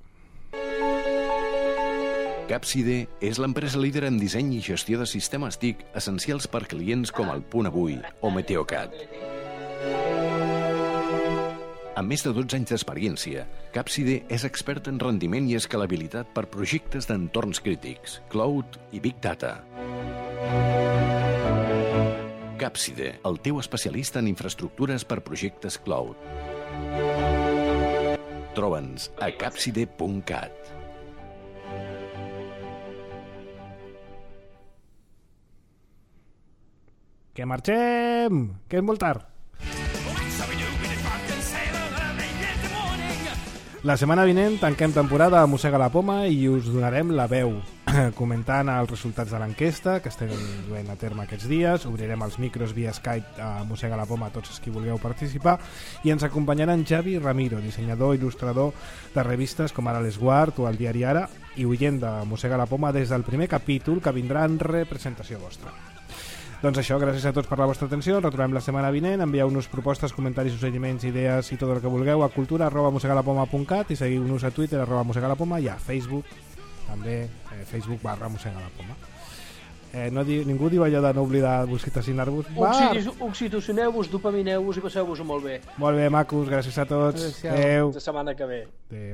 Capside és l'empresa líder en disseny i gestió de sistemes TIC essencials per clients com el Punt Avui o Meteocat. Amb més de 12 anys d'experiència, Capside és expert en rendiment i escalabilitat per projectes d'entorns crítics, cloud i big data. Capside, el teu especialista en infraestructures per projectes cloud. Troba'ns a capside.cat. Que marxem! Que és molt tard! La setmana vinent tanquem temporada a Mossega la Poma i us donarem la veu comentant els resultats de l'enquesta que estem duent a terme aquests dies. Obrirem els micros via Skype a Mossega la Poma a tots els que vulgueu participar i ens acompanyaran Javi Ramiro, dissenyador i il·lustrador de revistes com ara l'Esguard o el Diari Ara i oient de Mossega la Poma des del primer capítol que vindrà en representació vostra. Doncs això, gràcies a tots per la vostra atenció. Ens retrobem la setmana vinent. Envieu-nos propostes, comentaris, suggeriments, idees i tot el que vulgueu a cultura@mossegalapoma.cat i seguiu-nos a Twitter @mossegalapoma i a Facebook també, Facebook.com/mossegalapoma. Ningú diu allò de no oblidar oxitocinar-vos. Oxitocineu-vos, dopamineu-vos i passeu-vos-ho molt bé. Molt bé, macos, gràcies a tots. Adéu. La setmana que ve. Adéu.